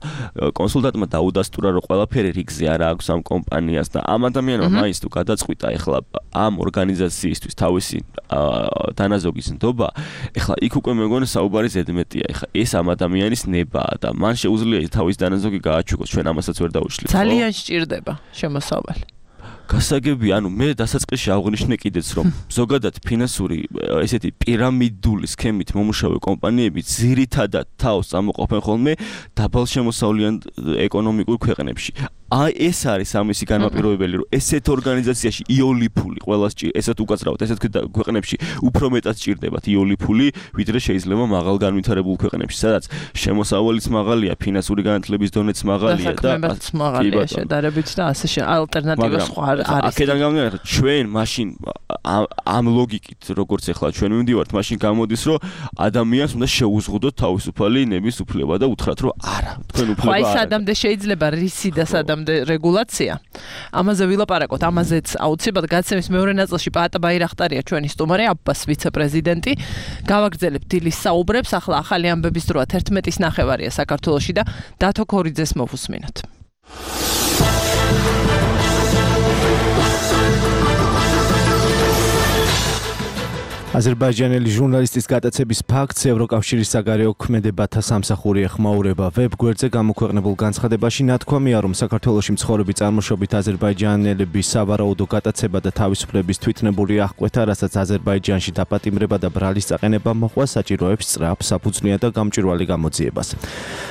კონსულტანტმა დაუდასტურა რომ ყველაფერი რიგზე არა აქვს ამ კომპანიას და ამ ადამიანმა მაინც თუ გადაწყვიტა ეხლა ამ ორგანიზაციისთვის თავისი დანაზოგის ნდობა ეხლა იქ უკვე მეგონი საუბარი ზედმეტია ეხლა ეს ამ ადამიანის ნებაა და მან შეუძლია თავის დანაზოგი გააჩუქოს ჩვენ ამასაც ვერ დაუშლით ძალიან სჭირდება შემოსავალი გასაგები, ანუ მე დასაწყისში აღვნიშნე კიდეც რომ ზოგადად ფინანსური ესეთი პირამიდული სქემით მომუშავე კომპანიები ძირითადად თავს წამოყოფენ ხოლმე დაბალშემოსავლიან ეკონომიკურ ქვეყნებში. აი ეს არის ამისი განმაპირობებელი რომ ესეთ ორგანიზაციაში იოლიფული ყველას ესეთ უკაცრავად ესეთ ქვეყნებში უფრო მეტად სჭირდებათ იოლიფული ვიდრე შეიძლება მაღალ განვითარებულ ქვეყნებში სადაც შემოსავალიც მაღალია ფინანსური განათლების დონეც მაღალია და მაღალია შედარებით და ასე ალტერნატივა სხვა არის აქედან გამომდინარე ჩვენ მაშინ ამ ლოგიკით როგორც ახლა ჩვენ მივდივართ მაშინ გამოდის რომ ადამიანს უნდა შეუზღუდოთ თავისუფალი ნების უფლება და უთხრათ რომ არა თქვენ უფლება არა. აი სადამდე შეიძლება რისი და სადამდე რეგულაცია. ამაზე ვილაპარაკოთ, ამაზეც აუცილებლად გაცემის მეორე ნაწილში პაატა ბაირახტარია ჩვენი სტუმარი, აბბას ვიცე-პრეზიდენტი. გავაგრძელებთ დილის საუბრებს, ახლა ახალი ამბების დროა თერთმეტის ნახევარია საქართველოში და დათო ქორიძეს მოვუსმინოთ. აზერბაიჯანელი ჟურნალისტის გატაცების ფაქტს ევროკავშირის საგარეო ქმედებათა სამსახური ეხმაურება. ვებ გვერდზე გამოქვეყნებულ განცხადებაში ნათქვამია, რომ საქართველოში მცხოვრები წარმოშობით აზერბაიჯანელების სავარაუდო გატაცება და თავისუფლების თვითნებური აღკვეთა, რასაც აზერბაიჯანში დაპატიმრება და ბრალის წაყენება მოყვა საჭიროებს სწრაფ, საფუძვლიან და გამჭვირვალე გამოძიებას.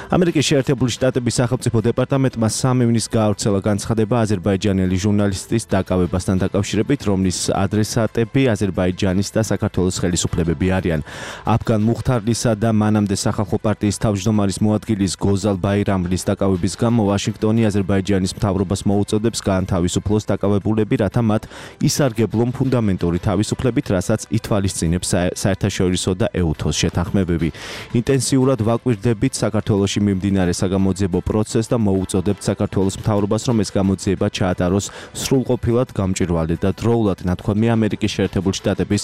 ამერიკის შეერთებული შტატების სახელმწიფო დეპარტამენტმა სამი ივნის გაავრცელა განცხადება აზერბაიჯანელი ჟურნალისტის დაკავებასთან დაკავშირებით, რომლის ადრესატები აზერბაიჯანის და საქართველოს ხელისუფლებები არიან. აფგან მუხთარლისა და მანამდე სახალხო პარტიის თავმჯდომარის მოადგილის გოზალ ბაირამლის დაკავების გამო ვაშინგტონი აზერბაიჯანის მთავრობას მოუწოდებს გაანთავისუფლოს დაკავებულები, რათა მათ ისარგებლონ ფუნდამენტური თავისუფლებით, რასაც ითვალისწინებს საერთაშორისო და ეუთოს შეთანხმებები. ინტენსიურად ვაკვირდებით საქართველოში მიმდინარე საგამოძიებო პროცესს და მოუწოდებთ საქართველოს მთავრობას, რომ ეს გამოძიება ჩაატაროს სრულყოფილად, გამჭვირვალე და დროულად, ნათქვამია ამერიკის შეერთებული შტატების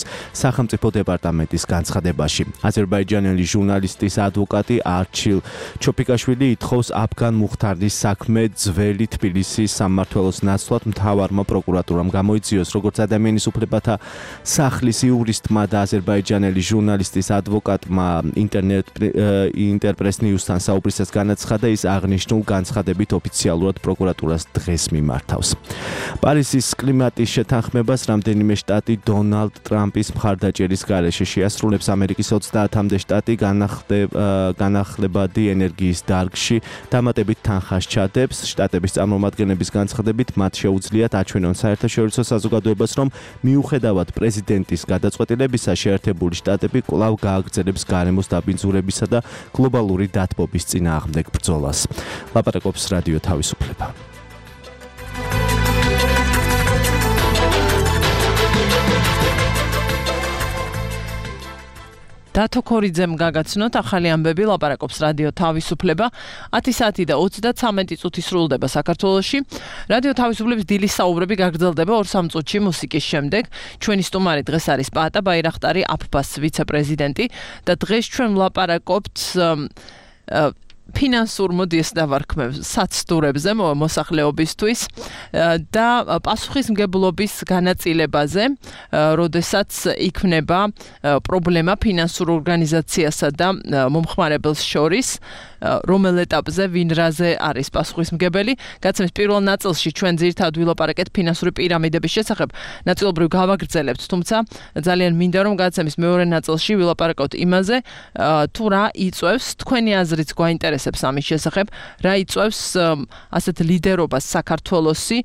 სახელმწიფო დეპარტამენტის განცხადებაში. აზერბაიჯანელი ჟურნალისტის ადვოკატი არჩილ ჩოფიკაშვილი ითხოვს აფგან მუხთარლის საქმე ძველი თბილისის სამმართველოს ნაცვლად მთავარმა პროკურატურამ გამოიძიოს, როგორც ადამიანის უფლებათა სახლის იურისტმა და აზერბაიჯანელი ჟურნალისტის ადვოკატმა ინტერნეტ ინტერპრეს ნიუსთან საუბრისას განაცხადა, ის აღნიშნულ განცხადებით ოფიციალურად პროკურატურას დღეს მიმართავს. პარიზის კლიმატის შეთანხმებას რამდენიმე შტატი დონალდ ტრამპის მხარდაჭერის გარეშე შეასრულებს. ამერიკის ოცდაათამდე შტატი განახლებადი ენერგიის დარგში დამატებით თანხას ჩადებს. შტატების წარმომადგენლების განცხადებით მათ შეუძლიათ აჩვენონ საერთაშორისო საზოგადოებას, რომ მიუხედავად პრეზიდენტის გადაწყვეტილებისა, შეერთებული შტატები კვლავ გააგრძელებს გარემოს დაბინძურებისა და გლობალური დათბობის წინააღმდეგ ბრძოლას. ლაპარაკობს რადიო თავისუფლება. დათო ქორიძემ გაგაცნოთ ახალი ამბები, ლაპარაკობს რადიო თავისუფლება. ათი საათი და ოცდაცამეტი წუთი სრულდება საქართველოში. რადიო თავისუფლების დილის საუბრები გაგრძელდება ორ სამ წუთში მუსიკის შემდეგ. ჩვენი სტუმარი დღეს არის პაატა ბაირახტარი, აფბას ვიცე-პრეზიდენტი და დღეს ჩვენ ვლაპარაკობთ ფინანსურ მოდიეს დავარქმევ საცდურებზე მოსახლეობისთვის და პასუხისმგებლობის განაწილებაზე, როდესაც იქნება პრობლემა ფინანსურ ორგანიზაციასა და მომხმარებელს შორის, რომელ ეტაპზე ვინ რაზე არის პასუხისმგებელი. გაცემის პირველ ნაწილში ჩვენ ძირითადად ვილაპარაკეთ ფინანსური პირამიდების შესახებ, ნაწილობრივ გავაგრძელებთ, თუმცა ძალიან მინდა რომ გაცემის მეორე ნაწილში ვილაპარაკოთ იმაზე, თუ რა იწვევს, თქვენი აზრიც გვაინტერესებს ინტერესებს ამის შესახებ, რა იწვევს ასეთ ლიდერობას საქართველოსი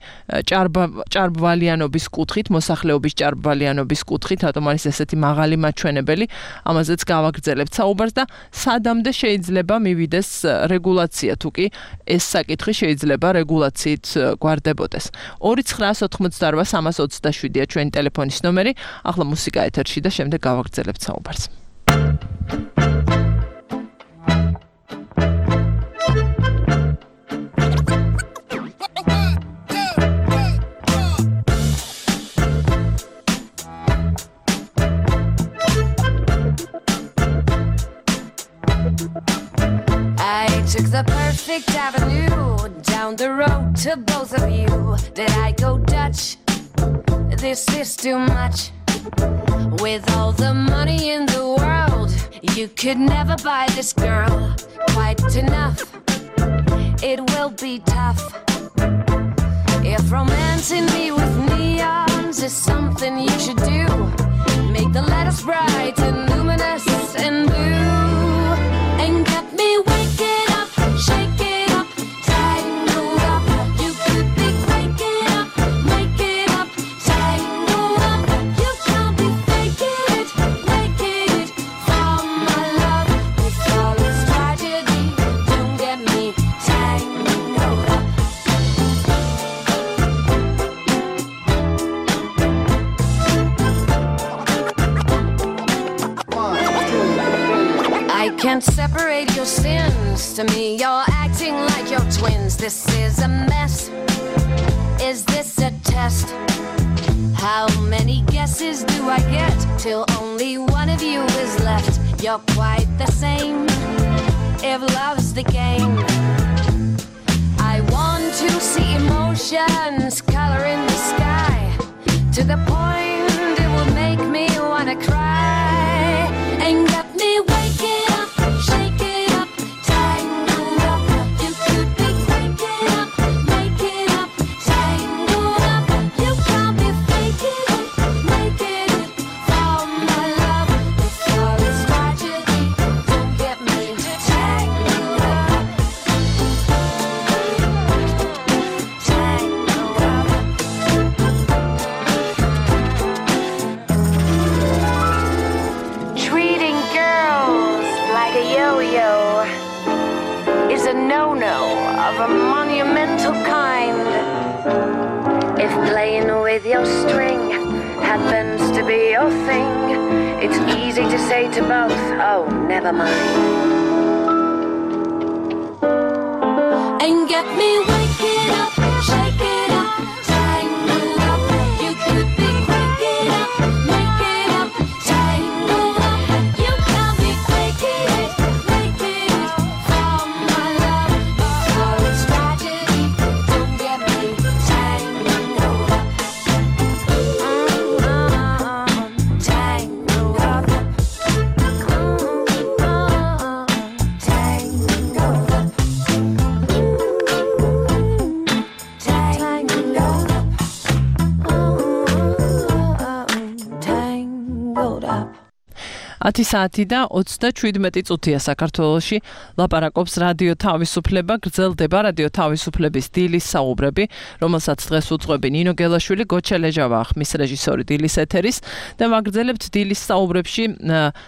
ჭარბვალიანობის კუთხით, მოსახლეობის ჭარბვალიანობის კუთხით, რატომ არის ესეთი მაღალი მაჩვენებელი, ამაზეც გავაგრძელებთ საუბარს და სადამდე შეიძლება მივიდეს რეგულაცია, თუ კი ეს საკითხი შეიძლება რეგულაციით გვარდებოდეს. ორი ცხრა ოთხმოცდაოთხ სამას ოცდაშვიდია ჩვენი ტელეფონის ნომერი, ახლა მუსიკა ეთერში და შემდეგ გავაგრძელებთ საუბარს. Took the perfect avenue down the road to both of you. Did I go Dutch? This is too much. With all the money in the world, you could never buy this girl quite enough. It will be tough. If romancing me with neons is something you should do, make the letters bright and luminous and blue, and get me waking up, shake it up, tangled up. You could be waking up, make it up, tangled up. You can't be faking it, making it from my love. With all its tragedy, don't get me tangled up. I can't separate your sins. To me, you're acting like your twins. This is a mess. Is this a test? How many guesses do I get till only one of you is left? You're quite the same. If love's the game, I want to see emotions color in the sky, to the point it will make me wanna cry, and get me waking up, shake it up, tangled up. You could be waking up, make it up, tangled up. You can't be faking it, making it from my love. With all its tragedy, don't get me tangled up, tangled up. Treating girls like a yo-yo is a no-no of a monumental kind. If playing with your string happens to be your thing, it's easy to say to both, oh, never mind. And get me waking up, shake it up, tangled up. You could be waking up, make it up, tangled up. You can't be faking it, making it from my love. Oh, it's tragedy, don't get me tangled up. Mm-hmm. Tangled up. Mm-hmm. Tangled up. Tangled up. Tangled up. ათი საათი და ოცდაშვიდმეტი წუთია საქართველოში. ლაპარაკობს რადიო თავისუფლება, გრძელდება რადიო თავისუფლების დილის საუბრები, რომელსაც დღეს უძღვები ნინო გელაშვილი, გოჩა ლეჟავა ხმის რეჟისორი დილის ეთერის და ვაგრძელებთ დილის საუბრებში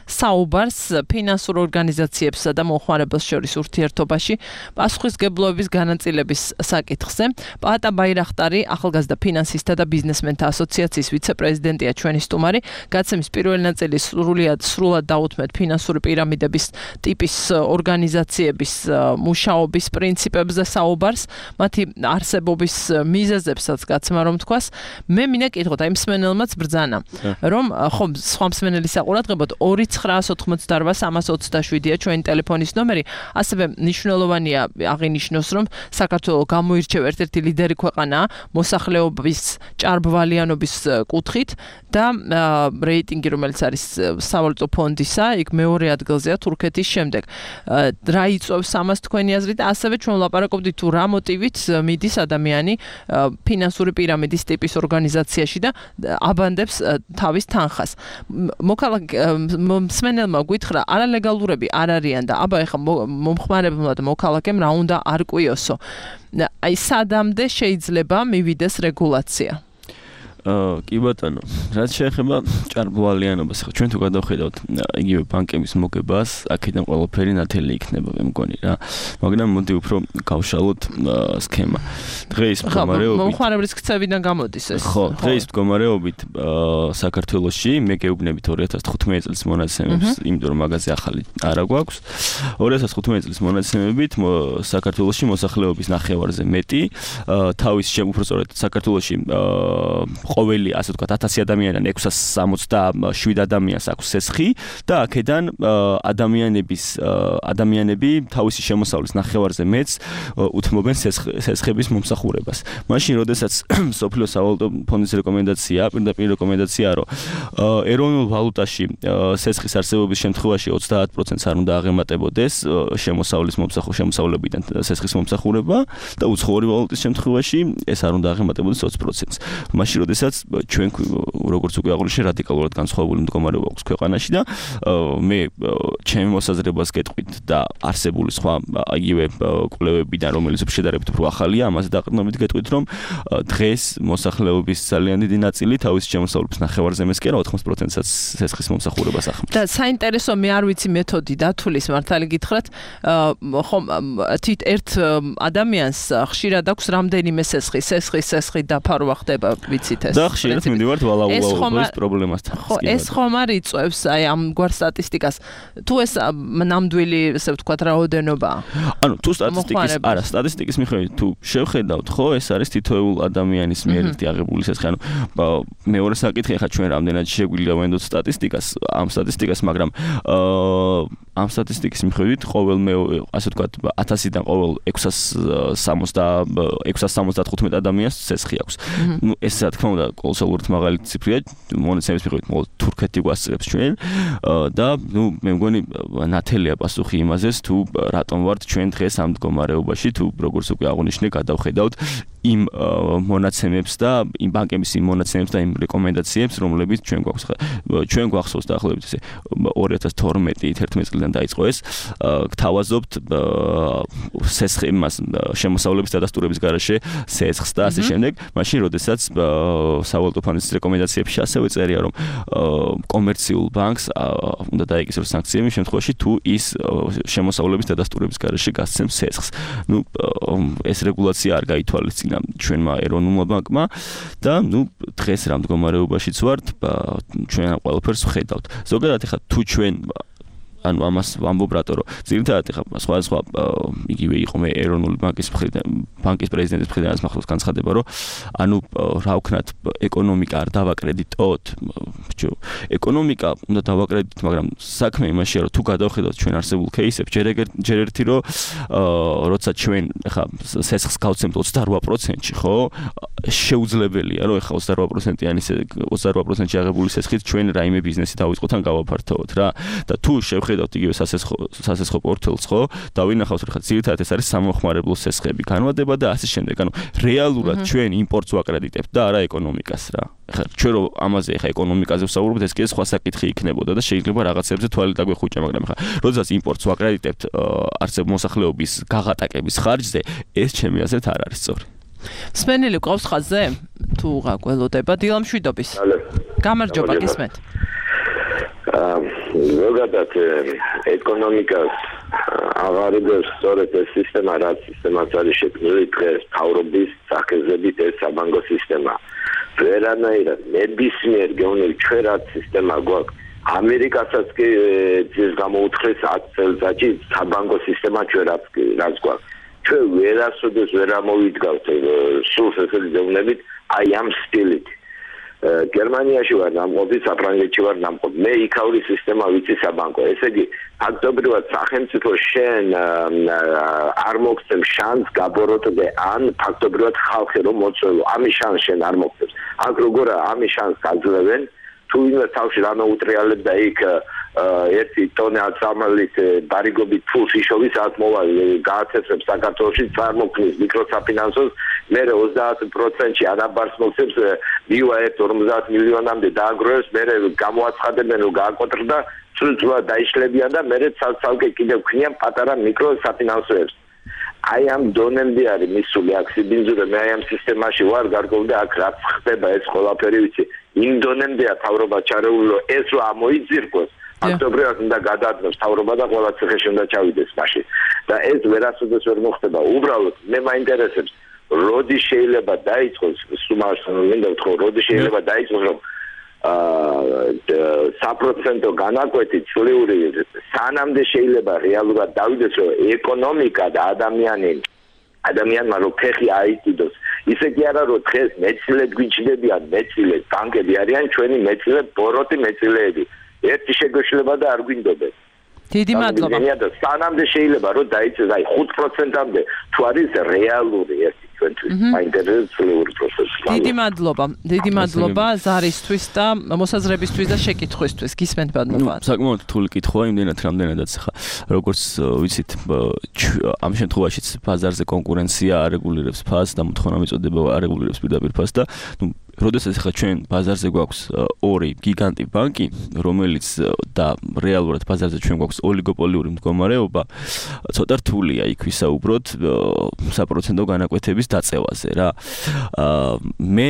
საუბარს ფინანსურ ორგანიზაციებსა და მომხმარებელს შორის ურთიერთობაში პასუხისმგებლობის განაწილების საკითხზე. პაატა ბაირახტარი, ახალგაზრდა ფინანსისტთა და ბიზნესმენთა ასოციაციის ვიცე-პრეზიდენტია ჩვენი სტუმარი. გაცემის პირველი ნაწილი სრულიად სრულად დაუთმეთ ფინანსური პირამიდების ტიპის ორგანიზაციების მუშაობის პრინციპებზე საუბარს, მათი არსებობის მიზეზებსაც გაცემა რომ თქვას. მე მინდა კითხოთ აი მსმენელმაც ბრძანა, რომ ხო სხვა მსმენელის საყურადღებოდ ორი ცხრა ოთხმოცდაოთხ სამას ოცდაშვიდია ჩვენი ტელეფონის ნომერი, ასევე მნიშვნელოვანია აღინიშნოს, რომ საქართველო გამოირჩევა ერთ-ერთი ლიდერი ქვეყანაა მოსახლეობის ჭარბვალიანობის კუთხით და რეიტინგი, რომელიც არის სავალუტო ფონდისა, იქ მეორე ადგილზეა თურქეთის შემდეგ. რა იწვევს ამას თქვენი აზრით და ასევე ჩვენ ვლაპარაკობდით თუ რა მოტივით მიდის ადამიანი ფინანსური პირამიდის ტიპის ორგანიზაციაში და აბანდებს თავის თანხას. მოქალაქე მსმენელმა გითხრა არალეგალურები არ არიან და აბა ეხლა მომხმარებელმა და მოქალაქემ რა უნდა არკვიოსო. აი სადამდე შეიძლება მივიდეს რეგულაცია. აა კი ბატონო, რაც შეეხება ჭარბვალიანობას, ხო ჩვენ თუ გადავხედავთ იგივე ბანკების მოგებას, აქედან ყველაფერი ნათელი იქნება, მე მგონი რა. მაგრამ მოდი უფრო გავშალოთ სქემა. დღეს მდგომარეობით მომხმარებლის ქცევიდან გამოდის ეს. ხო, დღეს მდგომარეობით საქართველოში მე გეუბნებით ორი ათას თხუთმეტი წლის მონაცემებს, იმიტომ რომ მაგაზე ახალი არა გვაქვს. ორი ათას თხუთმეტი წლის მონაცემებით საქართველოში მოსახლეობის ნახევარზე მეტი, თავის შემოფროსწორად საქართველოში ყოველი ასე ვთქვათ ათასი ადამიანიდან ექვსას სამოცდაშვიდ ადამიანს აქვს სესხი და აქედან ადამიანების ადამიანები თავისი შემოსავლის ნახევარზე მეც უთმობენ სესხების მომსახურებას. მაშინ როდესაც სოფლიო სავალუტო ფონდის რეკომენდაცია, პირდაპირ რეკომენდაციაა, რომ ეროვნულ ვალუტაში სესხის არსებობის შემთხვევაში ოცდაათ პროცენტს არ უნდა აღემატებოდეს შემოსავლის მომსახურება, შემოსავლებიდან სესხის მომსახურება და უცხოური ვალუტის შემთხვევაში ეს არ უნდა აღემატებოდეს ოცი პროცენტს. მაშინ როდესაც ჩვენ როგორც უკვე აღნიშნე რადიკალურად განსხვავებული მდგომარეობა აქვს ქვეყანაში და მე ჩემი მოსაზრებას გეტყვით და არსებული სხვა იგივე კვლევებიდან რომელიც შედარებით უფრო ახალია ამაზე დაყრდნობით გეტყვით რომ დღეს მოსახლეობის ძალიან დიდი ნაწილი თავის შემოსავლების ნახევარზე მეს კი არა ოთხმოცდაათ პროცენტსაც სესხის მომსახურებას ახმის. და საინტერესო მე არ ვიცი მეთოდი დათulis მართალი გითხრათ ხომ თვით ერთ ადამიანს ხშირად აქვს რამდენიმე სესხი, სესხი, სესხი დაფარვა ხდება ვიცით ეს. და ხშირად მივდივართ ვალაულის პრობლემასთან. ხო, ეს ხომ არ იწვევს აი ამ გვარ სტატისტიკას. თუ ეს ნამდვილი, ესე ვთქვათ, რაოდენობაა. ანუ თუ სტატისტიკის, არა, სტატისტიკის მიხედვით თუ შევხედავთ, ხო, ეს არის თითოეულ ადამიანის მიერ აღებული სესხი. ანუ მეორე საკითხი ახლა ჩვენ რამდენად შეგვიძლია ვენდოთ სტატისტიკას, ამ სტატისტიკას, მაგრამ ამ სტატისტიკის მიხედვით ყოველ მე ასე ვთქვათ ათასიდან ყოველ ექვსას სამოცდათხუთმეტ ადამიანს სესხი აქვს. ნუ ეს რა თქმა უნდა კოლოსალურად მაღალი ციფრია, მონაცემის მიხედვით მხოლოდ თურქეთი გვასწრებს ჩვენ და ნუ მე მგონი ნათელია პასუხი იმაზეც თუ რატომ ვართ ჩვენ დღეს ამ მდგომარეობაში, თუ როგორც უკვე აღნიშნე, გადავხედავთ იმ მონაცემებს და იმ ბანკების იმ მონაცემებს და იმ რეკომენდაციებს, რომლებიც ჩვენ გვაქვს. ჩვენ გვახსოვს დაახლოებით ესე ორი ათას თორმეტი ათერთმეტი წლიდან დაიწყო ეს, გთავაზობთ სესხი იმას შემოსავლების დადასტურების გარეშე სესხს და ასე შემდეგ, მაშინ როდესაც სავალუტო ფონდის რეკომენდაციებში ასევე წერია რომ კომერციულ ბანკს უნდა დაეკისროს სანქციები იმ შემთხვევაში თუ ის შემოსავლების დადასტურების გარეშე გასცემს სესხს. ნუ ეს რეგულაცია არ გაითვალისწინა ჩვენმა ეროვნულმა ბანკმა და ნუ დღეს რა მდგომარეობაშიც ვართ, ჩვენ ყველაფერს ვხედავთ. ზოგადად ახლა თუ ჩვენ ანუ ამას ვამბობ რატო რომ ძირითადად ახლა სხვადასხვა იგივე იყო მე ეროვნული ბანკის მხრიდან ბანკის პრეზიდენტის მხრიდან მახსოვს განცხადება რომ ანუ რა ვქნათ ეკონომიკა არ დავაკრედიტოთ ბიჭო ეკონომიკა უნდა დავაკრედიტოთ მაგრამ საქმე იმაშია რომ თუ გადავხედავთ ჩვენ არსებულ кейსებს ჯერ ჯერ ერთი რომ როცა ჩვენ ახლა სესხს გავცემთ ოცდარვა პროცენტში ხო შეუძლებელია რომ ახლა ოცდარვა პროცენტიანი ოცდარვა პროცენტში აღებული სესხით ჩვენ რაიმე ბიზნესი დავიწყოთ ან გავაფართოვოთ რა და თუ შევხედავთ იგივე სასესხო სასესხო პორტფელს ხო დავინახავთ რომ ხა ძირითადად ეს არის სამომხმარებლო სესხები განმარტება და ასე შემდეგ ანუ რეალურად ჩვენ იმპორტს ვაკრედიტებთ და არა ეკონომიკას რა ხა ჩვენ რომ ამაზე ხა ეკონომიკაზე ვსაუბრობთ ეს კი სხვა საკითხი იქნებოდა და შეიძლება რაღაცებზე თვალი დაგვეხუჭა მაგრამ ხა როდესაც იმპორტს ვაკრედიტებთ არსებ მოსახლეობის გაღატაკების ხარჯზე ეს ჩემი აზრით არ არის სწორი სპენელი ყავს ხაზზე თუ გაყველოდება დილამშვიდობის გამარჯობა გისმენთ ზოგადად ეკონომიკას აღარებებს სწორედ ეს სისტემა რაც სისტემაც არის შექმნილი დღეს თავრობის სახეზებით ეს საბანკო სისტემა ვერანაირად ნებისმიერ გეუბნები ჩვენ რაც სისტემა გვაქვს ამერიკასაც კი ეს გამოუთხეს ათ წელიწადში საბანკო სისტემა ჩვენ რაც რაც გვაქვს ჩვენ ვერასოდეს ვერ ამოვიდგავთ სულ ესეთი გეუბნებით აი ამ სტილით გერმანიაში ვარ ნამყოფი, საფრანგეთში ვარ ნამყოფი. მე იქაური სისტემა ვიცი საბანკო. ესე იგი, ფაქტობრივად სახელმწიფო შენ არ მოგცემ შანსს გაბოროტდე ან ფაქტობრივად ხალხი რომ მოწვევო. ამის შანსს შენ არ მოგცემს. აქ როგორ ამის შანსს გაძლევენ? თუ ვინმე თავში რა მოუტრიალებ და იქ ერთი ტონა აწამლის ბარიგობით ფულს იშოვის ათმოვალი გააცეცებს საქართველოში წარმოქმნის მიკროსაფინანსოს მე ოცდაათ პროცენტში ანაბარს მოხსებს მივა ერთ ორმოცდაათ მილიონამდე დააგროვებს მე გამოაცხადებენ რომ გააკოტრდა სრულწლად დაიშლებიან და მე ცალ-ცალკე კიდევ ქნიან პატარა მიკროსაფინანსოებს აი ამ დონემდე არის მისული აქ სიბინძურე მე აი ამ სისტემაში ვარ გარკვეული აქ რაც ხდება ეს ყველაფერი ვიცი იმ დონემდეა თავრობა ჩარეულო ეს რომ ამოიძირკოს აქტიურად უნდა გადაადნოს თავრობა და ყველა ციხეში უნდა ჩავიდეს მაშინ და ეს ვერასოდეს ვერ მოხდება უბრალოდ მე მაინტერესებს როდი შეიძლება დაიწყოს სუმარს მინდა ვთქვა როდი შეიძლება დაიწყოს რომ საპროცენტო განაკვეთი წლიური სანამდე შეიძლება რეალურად დავიდეს რომ ეკონომიკა და ადამიანი ადამიანმა რომ ფეხი აიკიდოს ისე კი არა რომ დღეს მეცილედ გვიჩნდებიან მეცილედ ბანკები არიან ჩვენი მეცილე ბოროტი მეცილეები ერთი შეგვეშლება და არ გვინდობენ დიდი მადლობა და სანამდე შეიძლება რომ დაიწეს აი ხუთ პროცენტამდე თუ არის რეალური ერთი დიდი მადლობა დიდი მადლობა ზარისთვის და მოსაზრებისთვის და შეკითხვისთვის გისმენთ ბატონო საკმაოდ რთული კითხვა იმდენად რამდენადაც ხა როგორც ვიცით ამ შემთხვევაშიც ბაზარზე კონკურენცია არეგულირებს ფასს და მოთხოვნა მიწოდება არეგულირებს პირდაპირ ფასს და ნუ როდესაც ხა ჩვენ ბაზარზე გვაქვს ორი გიგანტი ბანკი რომელიც და რეალურად ბაზარზე ჩვენ გვაქვს ოლიგოპოლიური მდგომარეობა ცოტა რთულია იქ ვისაუბროთ საპროცენტო განაკვეთების დაწევაზე რა მე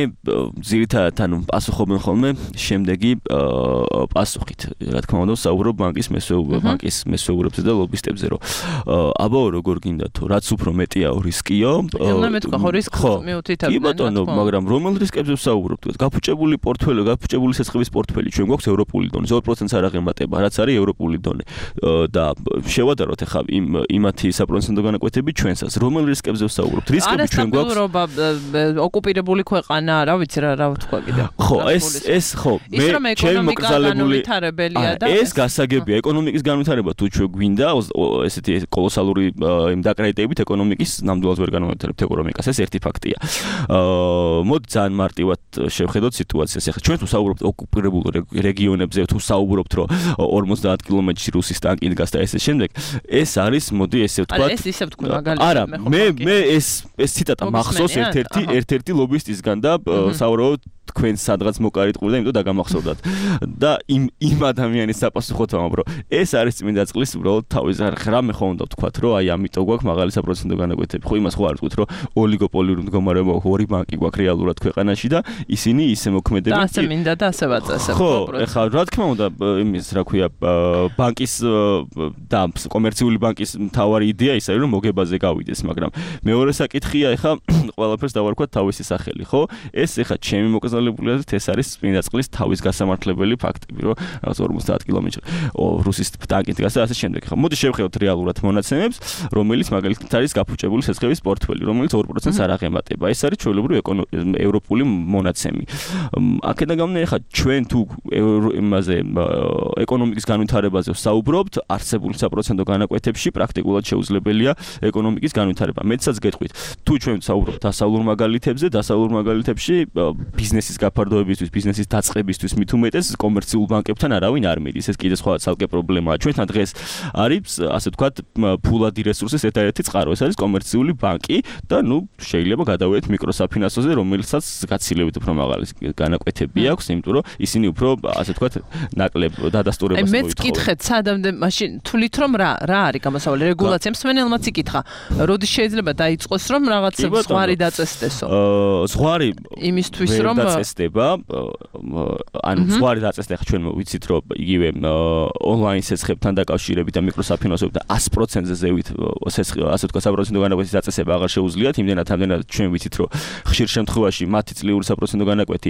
ძირითადად ანუ პასუხობენ ხოლმე შემდეგი პასუხით რა თქმა უნდა საუბრობ ბანკის მესვეუბრებს ბანკის მესვეუბრებზე და ლობისტებზე რომ აბაო როგორ გინდა თუ რაც უფრო მეტია რისკიო უნდა მეთქვა ხო რისკს მიუთითებდნენ კი ბატონო მაგრამ რომელ რისკებზე ვსაუბრობთ გაფუჭებული პორტფელი გაფუჭებული სესხების პორტფელი ჩვენ გვაქვს ევროპული დონე ორ პროცენტს არ აღემატება რაც არის ევროპული დონე და შევადაროთ ახლა იმ იმათი საპროცენტო განაკვეთები ჩვენსაც რომელ რისკებზე ვსაუბრობთ რისკები ჩვენ გვაქვს ოკუპირებული ქვეყანა რა ვიცი რა რა ვთქვა კიდე ხო ეს ეს ხო მე ჩემი მოკრძალებული ეს გასაგებია ეკონომიკის განვითარება თუ ჩვენ გვინდა ესეთი კოლოსალური იმ დაკრედიტებით ეკონომიკის ნამდვილად ვერ განვითარებთ ეკონომიკას ეს ერთი ფაქტია მოდი ძალიან მარტივად შევხედოთ სიტუაციას ახლა ჩვენ თუ საუბრობთ ოკუპირებულ რეგიონებზე თუ საუბრობთ რომ ორმოცდაათ კილომეტრში რუსის ტანკი დგას და ესე შემდეგ ეს არის მოდი ესე ვთქვა არა ეს ისე ვთქვი მაგალითად არა მე მე ეს ეს ციტატა მახსოვს ერთ-ერთი ერთ-ერთი ლობისტისგან და საუბრობთ თქვენ სადღაც მოკარიტყული და იმიტომ დაგამახსოვდათ და იმ იმ ადამიანის საპასუხოდ ვამბობ რომ ეს არის წმინდა წყლის უბრალოდ თავის რამე ხო უნდა ვთქვათ რომ აი ამიტომ გვაქვს მაღალი საპროცენტო განაკვეთები ხო იმას ხო არ ვთქვით რომ ოლიგოპოლიური მდგომარეობა ორი ბანკი გვაქვს რეალურად ქვეყანაში და ისინი ისე მოქმედებენ და ასე მინდა და ასე ვაწესებ ხო ეხლა რა თქმა უნდა იმის რა ქვია ბანკის და კომერციული ბანკის მთავარი იდეა ისაა რომ მოგებაზე გავიდეს მაგრამ მეორე საკითხია ეხლა ყველაფერს დავარქვათ თავისი სახელი ხო ეს ეხლა ჩემი მოკრძალებულიაზრით ეს არის წმინდა წყლის თავის გასამართლებელი ფაქტები რომ რაღაც ორმოცდაათ კილომეტრი რუსის ტანკით დგას და ასე შემდეგ ხო მოდი შევხედოთ რეალურად მონაცემებს რომელიც მაგალითად არის გაფუჭებული სესხების პორტფელი რომელიც ორ პროცენტს არ აღემატება ეს არის ჩვეულებრივი ევროპული მონაცემი აქედან გამომდინარე ხა ჩვენ თუ იმაზე ეკონომიკის განვითარებაზე ვსაუბრობთ არსებული საპროცენტო განაკვეთებში პრაქტიკულად შეუძლებელია ეკონომიკის განვითარება მეცაც გეტყვით თუ ჩვენ ვსაუბრობთ დასავლურ მაგალითებზე დასავლურ მაგალითებში ბიზნესის გაფარდოებისთვის ბიზნესის დაწყებისთვის მით უმეტეს კომერციულ ბანკებთან არავინ არ მიდის ეს კიდე სხვა ცალკე პრობლემაა ჩვენთან დღეს არის ასე ვთქვათ ფულადი რესურსის ერთადერთი წყარო ეს არის კომერციული ბანკი და ნუ შეიძლება გადავიდეთ მიკროსაფინანსოზე რომელსაც გაცილებით უფრო მაღალი განაკვეთები აქვს იმიტომ რომ ისინი უფრო ასე ვთქვათ ნაკლებ დადასტურებას მოითხოვენ მეც კითხეთ სადამდე მაშინ თulit რომ რა რა არის გამოსავალი რეგულაცია მსმენელმაც იკითხა როდის შეიძლება დაიწყოს რომ რაღაც ზღვარი დაწესდესო ზღვარი იმისთვის რომ დაწესდება ანუ ზღვარი დაწესდა ხა ჩვენ ვიცით რომ იგივე ონლაინ სესხებთან დაკავშირებით და მიკროსაფინანსოებთან ას პროცენტზე ზევით სესხი ასე ვთქვათ საპროცენტო განაკვეთის დაწესება აღარ შეუძლიათ იმდენად ამდენად ჩვენ ვიცით რომ ხშირ შემთხვევაში მათი წლიური საპროცენტო განაკვეთი